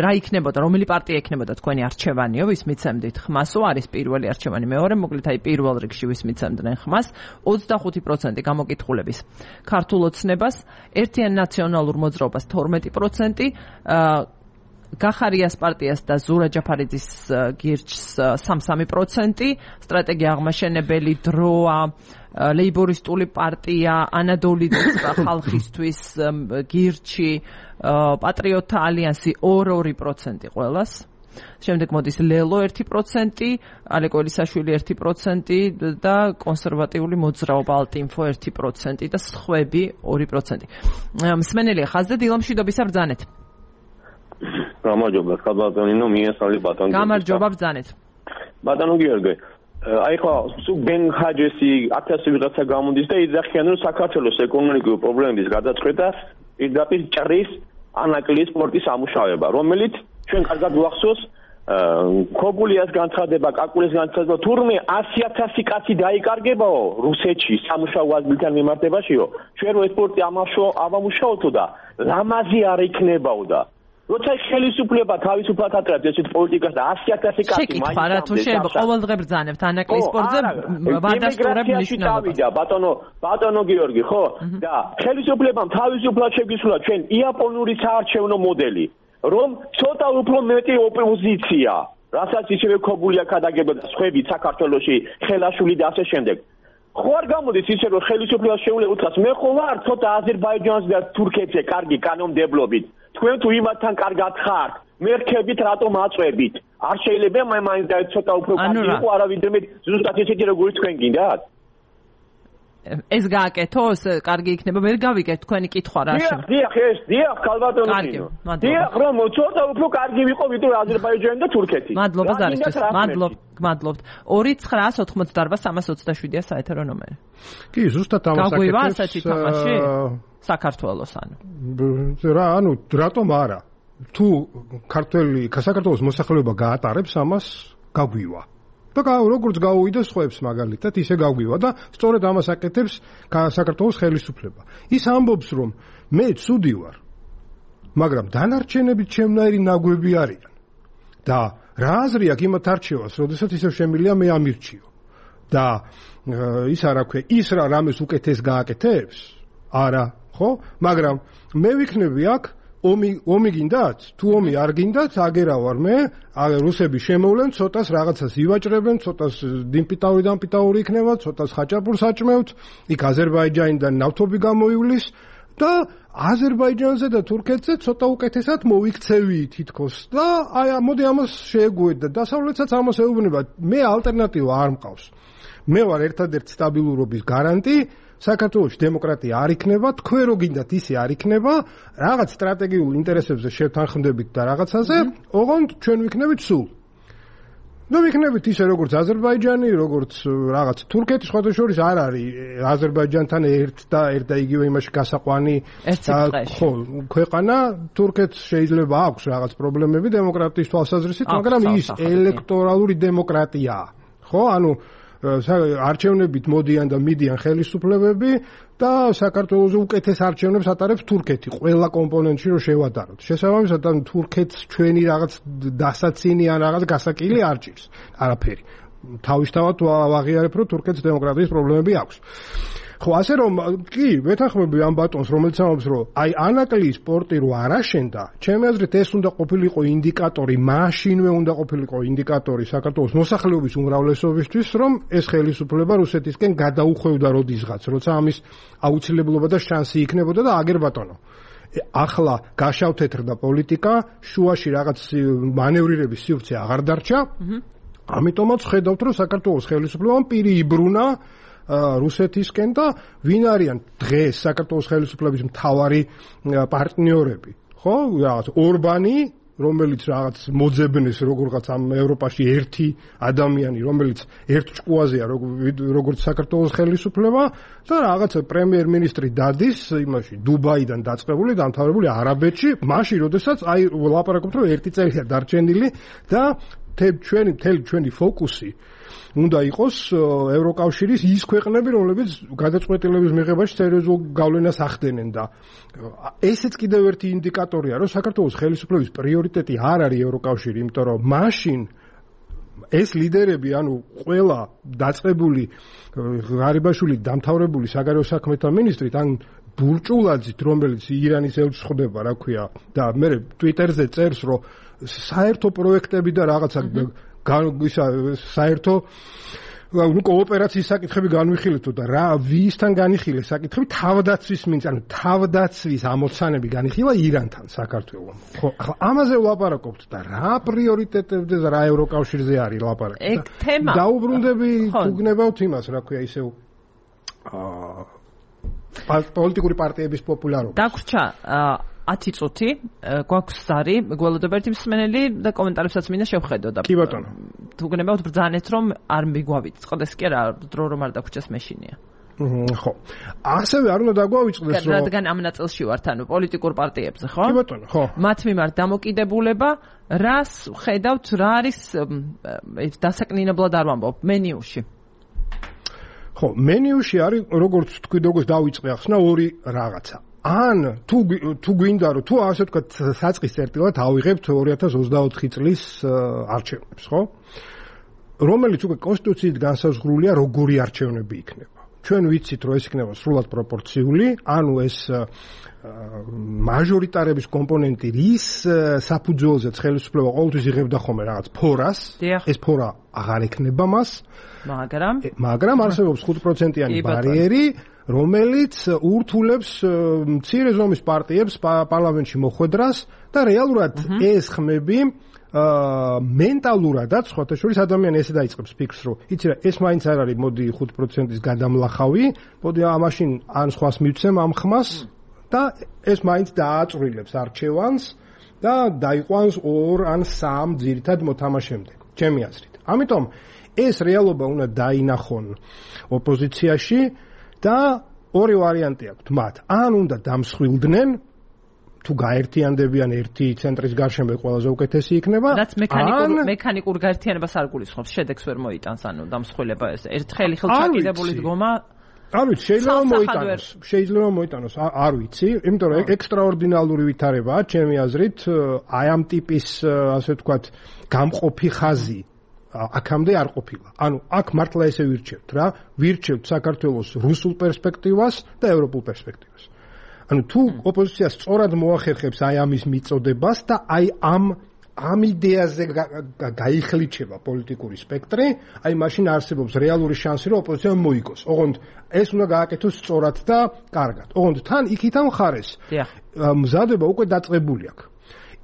რა იქნებოდა, რომელი პარტია იქნებოდა თქვენი არჩევანიო, ვის მიცემდით ხმასო, არის პირველი არჩევანი, მეორე, მოკლედ აი პირველ რიგში ვის მიცემდნენ ხმას, 25% გამოკითხულების ქართულ ოცნებას, ერთიან ნაციონალურ მოძრაობას 12%, გახარიას პარტიას და ზურა ჯაფარიძის გირჩს 3%, სტრატეგია აღმაშენებელი დროა, ლეიბორისტული პარტია, ანადოლიძის ხალხისთვის გირჩი, პატრიოტთა ალიანსი 2% ყველას. შემდეგ მოდის ლელო 1%, ალეკო ელისაშვილი 1% და კონსერვატიული მოძრაობა ალტინფო 1% და სხვები 2%. მსმენელია ხაზზე დილამშვიდობისა ბრძანეთ. გამარჯობა, ხალბატონინო, მიესალმებით ბატონო. გამარჯობა ბრძანეთ. ბატონო გიორგი, აი ხო, ბენ ჰაჯესი 1000 ვიღაცა გამოდის და იძახიან რომ საქართველოს ეკონომიკური პრობლემების გადაწყვეტას პირდაპირ ჭრის ანაკლის სპორტის ამუშავება, რომელიც ჩვენ კარგად გვახსოვს ქოგულიას განცხადება, კაკულის განცხადება, თურმე 100,000 კაცი დაიკარგებაო რუსეთში სამუშაო აზრთან მიმართებაშიო. ჩვენ რო სპორტი ამუშავოთო და ლამაზი არ იქნებაო და როცა ხელისუფლება თავისუფლად აკეთებს ესეთ პოლიტიკას და 100,000 კაცი მაინც რა თუ შეიძლება ყოველდღე ბრძანებთ ანაკლის სპორტზე ვადასტურებ ნიშნულობა. ბატონო გიორგი, ხო? და ხელისუფლებამ თავისუფლად შეგვისურვა ჩვენ იაპონური საარჩევნო მოდელი, რომ ცოტა უფრო მეტი ოპოზიცია, რასაც ისევე ქოგულია ქადაგებდა სხვები საქართველოში, ხელაშული და ასე შემდეგ. ხო არ გამოდის ისე რომ ხელისუფლებას შეუძლია უთხრას მე ხო ვარ ცოტა აზერბაიჯანს და თურქეთზე კარგი კანონმდებლობით. თქვენ თუ იმათთან კარგად ხართ, მერქებით რატომ აწვევით? არ შეიძლება მაინც და ცოტა უფრო კარგი იყო არავიდრე მე ზუსტად ესეთი როგორც თქვენ გინდათ? ეს გააკეთოს, კარგი იქნება, ვერ გავიგეთ თქვენი კითხვა რა შეიძლება. დიახ, ხალბატონო. დიახ, რომ ცოტა უფრო კარგი ვიყო ვიდრე აზერბაიჯანი და თურქეთი. მადლობა ზარისთვის. მადლობთ. 298-327-327-ია საეთერო ნომერი. კი, ზუსტად ამას აკეთებს. გაგვივა ასეთი თამაში საქართველოს ანუ. რატომ არა? თუ საქართველოს მოსახლეობა გაატარებს ამას, გაგვივა. და როგორც გაუვიდა სხვებს მაგალითად, ისე გაგვივა და სწორედ ამას აკეთებს საქართველოს ხელისუფლება. ის ამბობს, რომ მე ცუდი ვარ, მაგრამ დანარჩენები ჩემნაირი ნაგვები არიან. და რა აზრი აქვს იმათ არჩევას, როდესაც ისევ შემილია მე ამირჩიო. და ის არა ქვია, ის რა რამეს უკეთეს გააკეთებს? არა, ხო? მაგრამ მე ვიქნები აქ ომი გინდათ? თუ ომი არ გინდათ, აგერა ვარ მე, რუსები შემოვლენ, ცოტას რაღაცას ივაჭრებენ, ცოტას დიმპიტაური იქნება, ცოტას ხაჭაპურს აჭმევთ, იქ აზერბაიჯანიდან ნავთობი გამოივლის და აზერბაიჯანზე და თურქეთზე ცოტა უკეთესად მოვიქცევი თითქოს და აი მოდი ამას შეეგუეთ და დასავლეთსაც ამას ეუბნება. მე ალტერნატივა არ მყავს. მე ვარ ერთადერთი სტაბილურობის გარანტი. საქართველოში დემოკრატია არ იქნება, თქვენ რო გინდათ ისე არ იქნება, რაღაც სტრატეგიულ ინტერესებზე შევთანხმდებით და რაღაცაზე, ოღონდ ჩვენ ვიქნებით სულ. და ვიქნებით ისე როგორც აზერბაიჯანი, როგორც რაღაც თურქეთი, სხვათა შორის არ არის აზერბაიჯანთან ერთ და იგივე იმაში გასაყვანი ხო, ქვეყანა, თურქეთს შეიძლება აქვს რაღაც პრობლემები დემოკრატიის თვალსაზრისით, მაგრამ ის ელექტორალური დემოკრატიაა. ხო, ანუ არჩევნებით მოდიან და მიდიან ხელისუფლებები და საქართველოს უკეთეს არჩევნებს ატარებს თურქეთი ყველა კომპონენტში რო შევადაროთ. შესაბამისად ან თურქეთს ჩვენი რაღაც დასაცინი ან რაღაც გასაკილი არ ჭირს. არაფერი. თავისთავად ვაღიარებ რომ თურქეთს დემოკრატიის პრობლემები აქვს. ხო, ასე რომ კი, ვეთანხმები ამ ბატონს, რომელიც ამბობს, რომ აი ანაკლის სპორტი რო არ აშენდა, ჩემი აზრით ეს უნდა ყოფილიყო ინდიკატორი, მაშინვე უნდა ყოფილიყო ინდიკატორი საქართველოს მოსახლეობის უმრავლესობისთვის, რომ ეს ხელისუფლება რუსეთისკენ გადაუხვევდა როდისღაც, როცა ამის აუცილებლობა და შანსი იქნებოდა და აგერ ბატონო. ახლა გაშავთეთრდა პოლიტიკა, შუაში რაღაც მანევრირების სივრცე აღარ დარჩა. ამიტომაც ხედავთ, რომ საქართველოს ხელისუფლებამ პირი იბრუნა რუსეთისკენ და ვინ არიან დღეს საქართველოს ხელისუფლების მთავარი პარტნიორები, ხო? რაღაც ორბანი, რომელიც რაღაც მოძებნეს როგორღაც ამ ევროპაში ერთი ადამიანი, რომელიც ერთ ჭკუაზეა როგორც საქართველოს ხელისუფლება და რაღაც პრემიერ-მინისტრი დადის იმაში დუბაიდან დაწყებული, დამთავრებული არაბეთში, მაშინ როდესაც აი ლაპარაკობთ რომ ერთი წელია დარჩენილი და ჩვენი ფოკუსი უნდა იყოს ევროკავშირის ის ქვეყნები, რომლებიც გადაწყვეტილების მიღებაში სერიოზულ გავლენას ახდენენ და ესეც კიდევ ერთი ინდიკატორია, რომ საქართველოს ხელისუფლების პრიორიტეტი არ არის ევროკავშირი, იმიტომ რომ მაშინ ეს ლიდერები, ანუ ყველა დაწყებული ღარიბაშვილი დამთავრებული საგარეო საქმეთა მინისტრით, ან ბურჭულაძით, რომელიც ირანის ელჩს ხდება, რა ქვია, და მე ტვიტერზე წერს, რომ საერთო პროექტები და რაღაცა საერთო ნუ კოოპერაციის საკითხები განვიხილეთ და რა ვისთან განიხილეს საკითხები თავდაცვის მინც ანუ თავდაცვის ამოცანები განიხილა ირანთან საქართველოს. ხო, ახლა ამაზე ვლაპარაკობთ და რა პრიორიტეტებზე და რა ევროკავშირზე არის ლაპარაკი. ეგ თემა. დაუბრუნდები თუ გნებავთ იმას, რა ქვია, ისევ პოლიტიკური პარტიების პოპულარობა. დაგვრჩა 10 წუთი გვაქვს ზარი, გველოდება ერთი მსმენელი და კომენტარებსაც მინდა შევხედო და კი ბატონო. თუ გნებავთ ბრძანეთ რომ არ მიგვავიწყდეს კი არა, დრო რომ არ დაგვრჩას მეშინია. ხო. ასევე არ უნდა დაგვავიწყდეს რომ რადგან ამ ნაწილში ვართ, ანუ პოლიტიკურ პარტიებზე, ხო? კი ბატონო, ხო. მათ მიმართ დამოკიდებულება, რას ხედავთ, რა არის დასაკნინებლად არ ვამბობ, მენიუში. ხო, მენიუში არის როგორც თქვი როგორც დავიწყე ახსნა ორი რაღაცა. ან თუ გვინდა რომ თუ ასე ვთქვათ საწყის წერტილად ავიღებთ 2024 წლის არჩევნებს, ხო? რომელიც უკვე კონსტიტუციით განსაზღვრულია როგორი არჩევნები იქნება. ჩვენ ვიცით რომ ეს იქნება სრულად პროპორციული, ანუ ეს მაჟორიტარების კომპონენტი რის საფუძველზეც ხელისუფლება ყოველთვის იღებდა ხოლმე რაღაც ფორას, ეს ფორა აღარ ექნება მას, მაგრამ არსებობს 5%-იანი ბარიერი, რომელიც ურთულებს მცირე ზომის პარტიებს პარლამენტში მოხვედრას და რეალურად ეს ხმები მენტალურადაც სხვათა შორის ადამიანი ესე დაიწყებს ფიქრს, რომ იცი რა, ეს მაინც არ არის, მოდი 5%-ის გადამლახავი, მოდი ამაშინ ან სხვას მივცემ ამ ხმას და ეს მაინც დააწვრილებს არჩევანს და დაიყვანს 2 ან 3 ძირითად მოთამაშემდე, ჩემი აზრით. ამიტომ ეს რეალობა უნდა დაინახონ ოპოზიციაში და ორი ვარიანტი აქვს მათ. ან უნდა დამსხვილდნენ თუ გაერთიანდებიან ერთი ცენტრის გარშემო ყველაზე უკეთესი იქნება. რაც მექანიკურ გაერთიანებას არ გულისხმობს, შედეგს ვერ მოიტანს, ანუ დამსხვილება ეს ერთხელი ხელჩაკიდებული დგომა. არ ვიცი, შეიძლება მოიტანოს, არ ვიცი, იმიტომ რომ ექსტრაორდინალური ვითარებაა, ჩემი აზრით, აი ამ ტიპის, ასე ვთქვათ, გამყოფი ხაზი აქამდე არ ყოფილა. ანუ აქ მართლა ესე ვირჩევთ რა, ვირჩევთ საქართველოს რუსულ პერსპექტივას და ევროპულ პერსპექტივას. ანუ თუ ოპოზიცია სწორად მოახერხებს აი ამის მიწოდებას და აი ამ იდეაზე გაიხლიჩება პოლიტიკური სპექტრი, აი მაშინ არსებობს რეალური შანსი რომ ოპოზიცია მოიგოს. ოღონდ ეს უნდა გააკეთოს სწორად და კარგად. ოღონდ თან იქიდან მხარეს მზადება უკვე დაწყებული აქვს.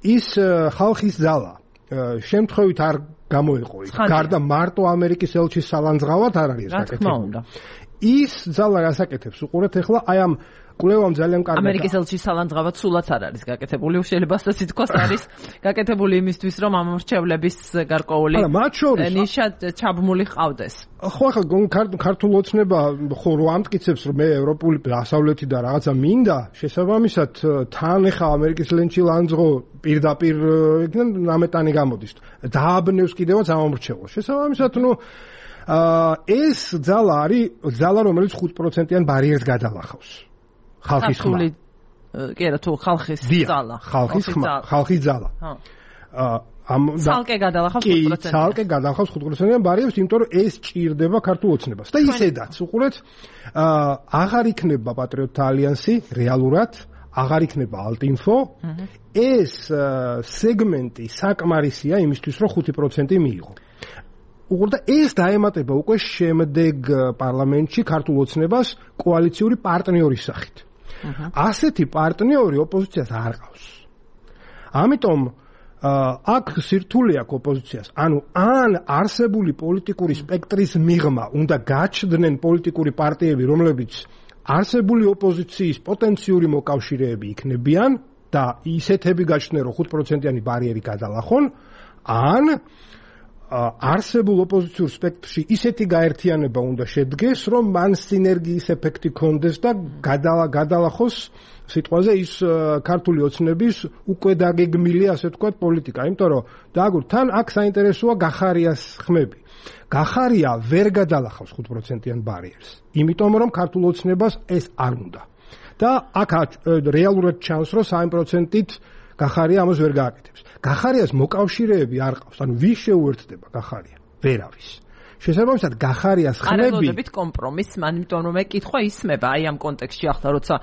ის ხალხის ზალა შემთხვევით არ გამოიყო იქ. გარდა მარტო ამერიკის ელჩის სალანძღავად არ არის გაკეთებული. ის ზალა რასაკეთებს უყურეთ ახლა აი ამ კვლევამ ძალიან კარგად ამერიკის ელჩის სალანძღავად სულაც არ არის გაკეთებული, შეიძლება ასე თქვას არის გაკეთებული იმისთვის რომ ამ მრჩევლების გარკვეული ნიშა ჩაბმული ყავდეს. ხო ახლა ქართულ ოცნება ხო რო ამტკიცებს რომ მე ევროპული დასავლეთი და რაღაცა მინდა, შესაბამისად თან ახლა ამერიკის ელჩი ლანძღო პირდაპირ ნამეტანი გამოდის. დააბნევს კიდევაც ამ მრჩევლს. შესაბამისად ნუ ეს ძალა არის ძალა რომელიც 5%-იან ბარიერს გადალახავს. ხალხის ხმა. კი არა თუ ხალხის ძალა. ხალხის ძალა. ცალკე გადალახავს 5%. კი, ცალკე გადალახავს 5%-იან ბარიერს, იმიტომ რომ ეს ჭირდება ქართულ ოცნებას. და ისედაც უყურეთ, აღარ იქნება პატრიოტთა ალიანსი რეალურად, აღარ იქნება ალტინფო. ეს სეგმენტი საკმარისია იმისთვის, რომ 5% მიიღო. უყურდა ეს დაემატება უკვე შემდეგ პარლამენტში ქართულ ოცნებას კოალიციური პარტნიორის სახით. ასეთი პარტნიორი ოპოზიციას არ ყავს. ამიტომ აქ სირთულე აქვს ოპოზიციას. ანუ ან არსებული პოლიტიკური სპექტრის მიღმა უნდა გაჩნდნენ პოლიტიკური პარტიები, რომლებიც არსებული ოპოზიციის პოტენციური მოკავშირეები იქნებიან და ისეთები გაჩნდნენ, რომ 5%-იანი ბარიერი გადალახონ, ან არსებულ ოპოზიციურ სპექტრში ისეთი გაერთიანება უნდა შედგეს, რომ მან სინერგიის ეფექტი ქონდეს და გადალახოს სიტყვაზე ის ქართული ოცნების უკვე დაგეგმილი, ასე ვთქვათ, პოლიტიკა. იმიტომ რომ დააგურ თან აქ საინტერესოა გახარიას ხმები. გახარია ვერ გადალახავს 5%-იან ბარიერს. იმიტომ რომ ქართულ ოცნებას ეს არ უნდა. და აქ რეალურად ჩანს, რომ 3%-ით გახარია ამას ვერ გააკეთებს. გახარიას მოკავშირეები არ ყავს, ანუ ვის შეუერთდება გახარია? ვერავის. შესაბამისად გახარიას ხმები არ ელოდებით კომპრომისს, ამიტომ რომ მეკითხვა ისმება აი ამ კონტექსტში ახლა როცა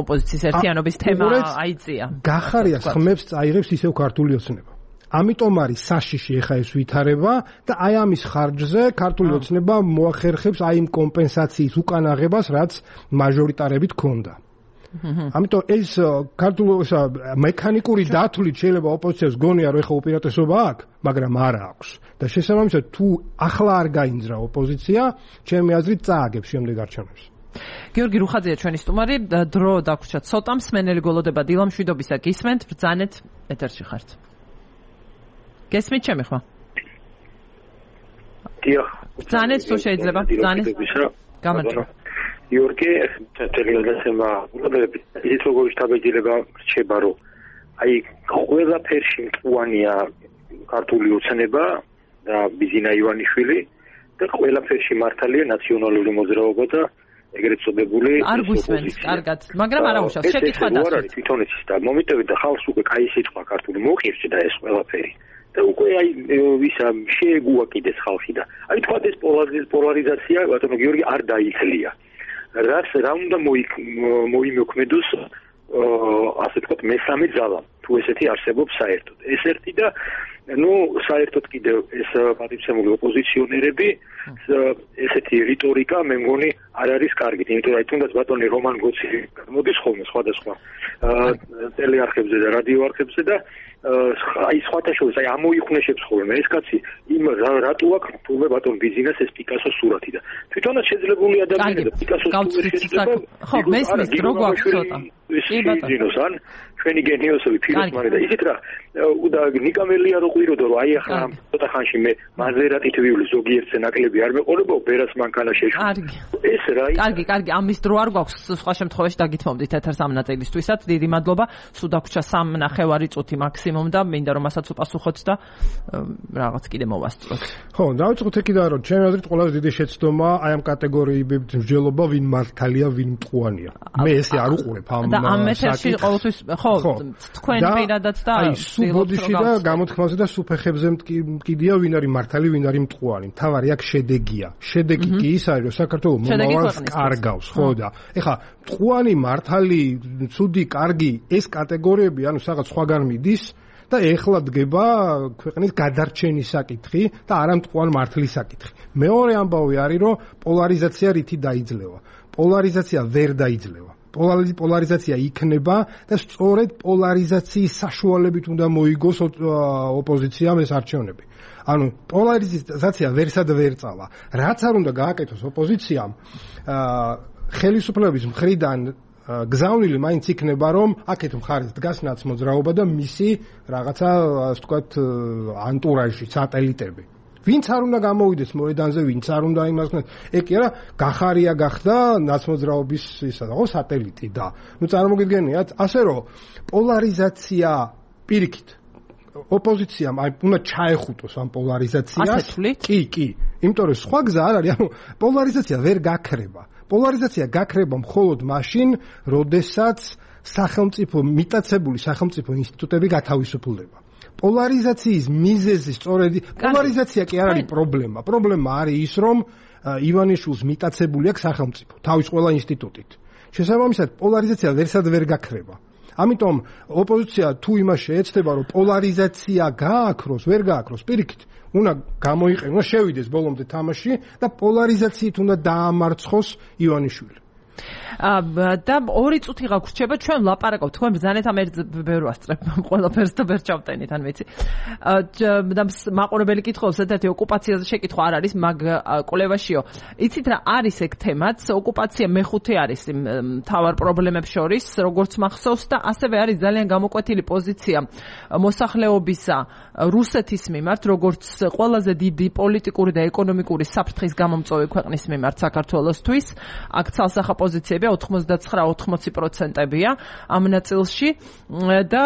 ოპოზიციის ერთიანობის თემა აიწია. გახარიას ხმებს წაიღებს ისევ ქართული ოცნება. ამიტომ არის საშიში ეხა ეს ვითარება და აი ამის ხარჯზე ქართული ოცნება მოახერხებს აი იმ კომპენსაციის უკანაღებას, რაც მაჟორიტარებით ჰქონდა. ამიტომ ეს ქართული მექანიკური დათვლით შეიძლება ოპოზიციას გონია რომ ეხა უპირატესობა აქვს, მაგრამ არა აქვს. და შესაბამისად თუ ახლა არ გაინძრა ოპოზიცია, ჩემი აზრით წააგებს შემდეგ არჩევნებს. გიორგი რუხაძეა ჩვენი სტუმარი, დრო დაგვრჩა ცოტა, მსმენელი გოლოდება დილამშვიდობისა გისმენთ, ბრძანეთ, ეთერში ხართ. გესმით ჩემი ხმა? დიახ. ბრძანეთ თუ შეიძლება, ბრძანეთ. გამარჯობა. გიორგი, თელეგრამმა უბრალოდ ის როგორი შთაბეჭდილება რჩება, რომ აი ყველაფერში მწვანეა ქართული ოცნება და ბიზინა ივანიშვილი და ყველაფერში მართალია ნაციონალური მოძრაობა და ეგრეთ წოდებული არ გვისმენთ კარგად, მაგრამ არა უშავს შეკითხვა დასვით. არ არის თვითონ ის და მომიტევი და ხალხს უკვე კაი სიტყვა ქართული მოხირჩი და ეს ყველაფერი. და უკვე აი ვისა შეეგუა კიდეს ხალხი და აი თქვა ეს პოლარიზაცია ბატონო გიორგი არ დაითლია. რა უნდა მოიმოქმედოს ასე თქვა მესამე ძალა თუ ესეთი არსებობს საერთოდ. ეს ერთი და საერთოდ კიდევ ეს პატივცემული ოპოზიციონერები ესეთი რიტორიკა მე მგონი არ არის კარგი, იმიტომ რომ თუნდაც ბატონი რომან გოცი მოდის ხოლმე სხვადასხვა ტელეარხებზე და რადიო არხებზე და აი სხვათა შორის აი ამოიხვნეშებს ხოლმე ეს კაცი იმ რატო აქვს თუმე ბატონ ბიზინას ეს პიკასოს სურათი და თვითონაც შეძლებული ადამიანი და პიკასოს შეძლება ხო მესმის რო გვაქვს ცოტა კი ბატონო ჩვენი გენიოსები ფიროსმანი და ისეთ რა და ნიკამელია რო ყვიროდა რომ აი ახლა ცოტა ხანში მე მაზერატით ვივლი ზოგიერთზე ნაკლები არ მეყოლებო ბერას მანქანა შეშვი ეს რა კარგი ამის დრო არ გვაქვს სხვა შემთხვევაში დაგითმობდით ეთერს ამ ნაწილისთვისაც დიდი მადლობა სულ დაგვრჩა 3.5 წუთი მაქსიმუმ და მინდა რომ მასაც უპასუხოთ და რაღაც კიდე მოვასწროთ ხო დავიწყოთ ეკიდან რომ ჩემი აზრით ყველაზე დიდი შეცდომა აი ამ კატეგორიებით მსჯელობა ვინ მართალია ვინ მტყუანია მე ესე არ უყურებ ამ და ამ ეთერში ყოველთვის ხო თქვენ პირადად და აი სუბოდიში და გამოთქმაზე და სუფეხებზე მკიდია ვინ არის მართალი ვინ არის მტყუარი მთავარი აქ შედეგია შედეგი კი ის არის რომ საქართველოს მომავალს კარგავს ხო და ეხლა მტყუანი მართალი ცუდი კარგი ეს კატეგორიები ანუ რაღაც სხვაგან მიდის და ეხლა დგება ქვეყნის გადარჩენის საკითხი და არა მტყუან მართლის საკითხი მეორე ამბავი არის რომ პოლარიზაცია რითი დაიძლევა პოლარიზაცია ვერ დაიძლევა პოლარიზაცია იქნება და სწორედ პოლარიზაციის საშუალებით უნდა მოიგოს ოპოზიციამ ეს არჩევნები. ანუ პოლარიზაცია ვერსად ვერ წავა. რაც არ უნდა გააკეთოს ოპოზიციამ, ხელისუფლების მხრიდან გზავნილი მაინც იქნება რომ აქეთ მხარეს დგას ნაცმოძრაობა და მისი რაღაცა ასე ვთქვათ ანტურაჟი, სატელიტები. ვინც არ უნდა გამოვიდეს მოედანზე, ვინც არ უნდა იმას ეგ კი არა, გახარია გახდა ნაცმოძრაობის ისა და სატელიტი და ნუ წარმოგიდგენიათ, ასე რომ პოლარიზაცია პირიქით ოპოზიციამ აი უნდა ჩაეხუტოს ამ პოლარიზაციას. კი, იმიტომ რომ სხვა გზა არ არის, ანუ პოლარიზაცია ვერ გაქრება. პოლარიზაცია გაქრება მხოლოდ მაშინ, როდესაც სახელმწიფო მიტაცებული სახელმწიფო ინსტიტუტები გათავისუფლდება. პოლარიზაციის მიზეზი სწორედ პოლარიზაცია კი არ არის პრობლემა. პრობლემა არის ის, რომ ივანიშვილს მიტაცებული აქვს სახელმწიფო თავის ყველა ინსტიტუტით. შესაბამისად, პოლარიზაცია ვერსად ვერ გაქრება. ამიტომ ოპოზიცია თუ იმას შეეცდება, რომ პოლარიზაცია გააქროს, ვერ გააქროს, პირიქით, უნდა გამოიყენოს, შევიდეს ბოლომდე თამაში და პოლარიზაციით უნდა დაამარცხოს ივანიშვილი. და 2 წუთი გაგვრჩება ჩვენ ვლაპარაკობთ თქვენ ბრძანეთ ამ ერთ ბევრ ასწრებ ყველაფერს და ვერ ჩავტენით ან ვიცი და მაყურებელი კითხავს ერთ-ერთი ოკუპაციაზე შეკითხვა არ არის მაგ კვლევაშიო იცით რა არის ეგ თემაც ოკუპაცია მეხუთე არის მთავარ პრობლემებს შორის როგორც მახსოვს და ასევე არის ძალიან გამოკვეთილი პოზიცია მოსახლეობისა რუსეთის მიმართ როგორც ყველაზე დიდი პოლიტიკური და ეკონომიკური საფრთხის გამომწვევი ქვეყნის მიმართ საქართველოსთვის აქ ცალსახა პოზიციები 99-80%-ია ამ ნაწილში და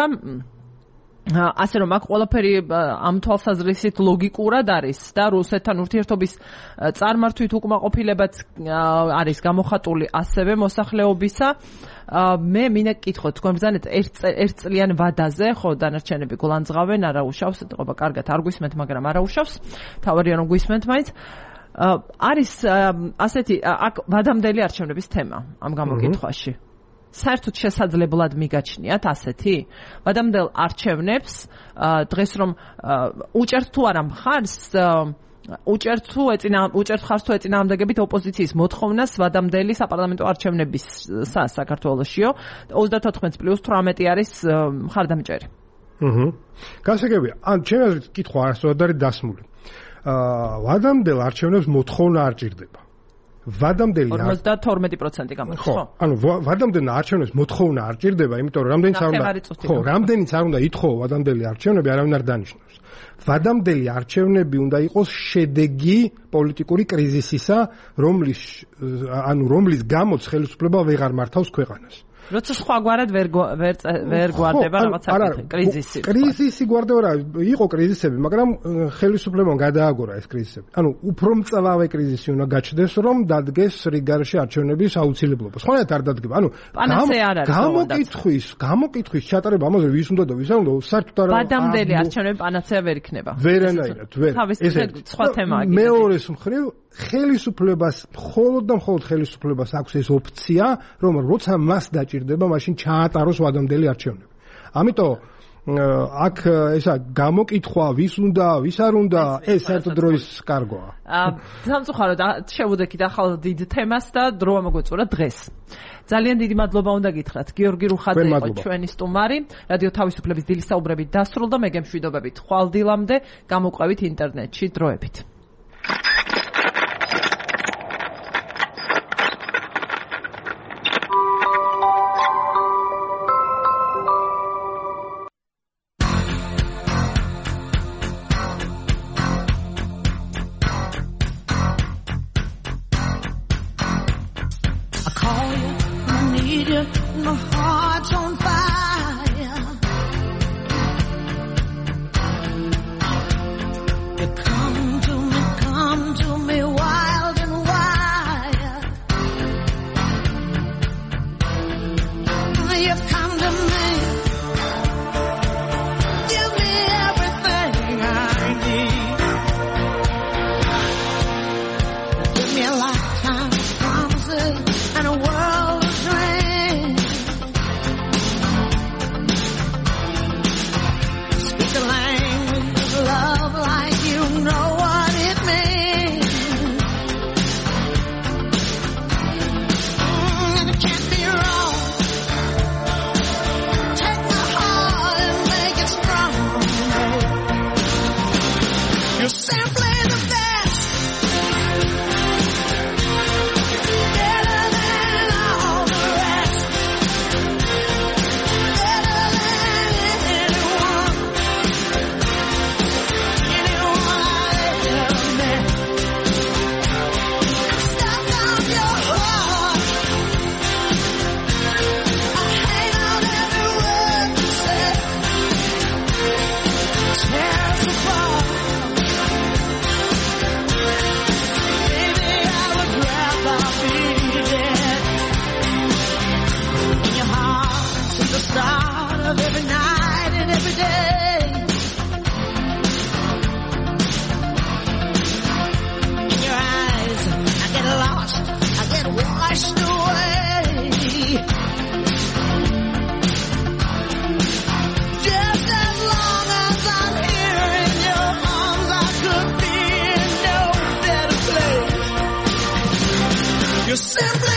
ასე რომ აქ ყველაფერი ამ თვალსაზრისით ლოგიკურად არის და რუსეთთან ურთიერთობის წარმართვით უკმაყოფილებაც არის გამოხატული ასევე მოსახლეობისა მე მინდა გკითხოთ თქვენ ბრძანეთ ერთ წლიან ვადაზე ხო დანარჩენები გულანძღავენ არა უშავს ეთყობა კარგად არ გვისმენთ მაგრამ არა უშავს თავარია რომ გვისმენთ მაინც არის ასეთი აქ ვადამდელი არჩევნების თემა ამ გამოკითხვაში საერთოდ შესაძლებლად მიგაჩნიათ ასეთი? ვადამდელ არჩევნებს დღეს რომ უჭერთ თუ არა მხარს უჭერთ ხარს თუ ეწინააღმდეგებით ოპოზიციის მოთხოვნას ვადამდელი საპარლამენტო არჩევნების საქართველოშიო 34+18 არის მხარდამჭერი. გასაგებია. ან ჩემი აზრით კითხვა არასდროს არის დასმული. ვადამდელ არჩევნებს მოთხოვნა არ ჭირდება. ვადამდელი 52% გამოდის, ხო? ანუ ვადამდელ არჩევნებს მოთხოვნა არ ჭირდება, იმიტომ რომ რამდენიც არ უნდა ითხოვო ვადამდელი არჩევნები, არავინ არ დანიშნავს. ვადამდელი არჩევნები უნდა იყოს შედეგი პოლიტიკური კრიზისისა, რომლის გამოც ხელისუფლება ვეღარ მართავს ქვეყანას. როცა სხვაგვარად ვერ გვარდება რაღაცა კრიზისი. კრიზისი გვარდება რა, იყო კრიზისები, მაგრამ ხელისუფლებამ გადააგორა ეს კრიზისები. ანუ უფრო მწვავე კრიზისი უნდა გაჩნდეს, რომ დადგეს რიგარში არჩევნების აუცილებლობა. სხვანაირად არ დადგება. ანუ გამოკითხვის ჩატარება ამაზე ვის უნდა და ვის არ უნდა, საერთოდ არ ვადამდელი არჩევნები პანაცეა ვერ იქნება. ვერანაირად, ვერ. ეს სხვა თემაა. მეორეს მხრივ ხელისუფლებას მხოლოდ და მხოლოდ ხელისუფლებას აქვს ეს ოფცია, რომ როცა მას დაჭირდება, მაშინ ჩაატაროს ვადამდელი არჩევნები. ამიტომ აქ ესა გამოკითხვა ვის უნდა, ვის არ უნდა, ეს საერთოდ დროის კარგოა. სამწუხაროდ შევუდექით ახალ დიდ თემას და დრო ამოგვეწურა დღეს. ძალიან დიდი მადლობა უნდა გითხრათ. გიორგი რუხაძე იყო ჩვენი სტუმარი. რადიო თავისუფლების დილის საუბრები დასრულდა. მე გემშვიდობებით ხვალ დილამდე გამოყვებით ინტერნეტში დროებით. You're simply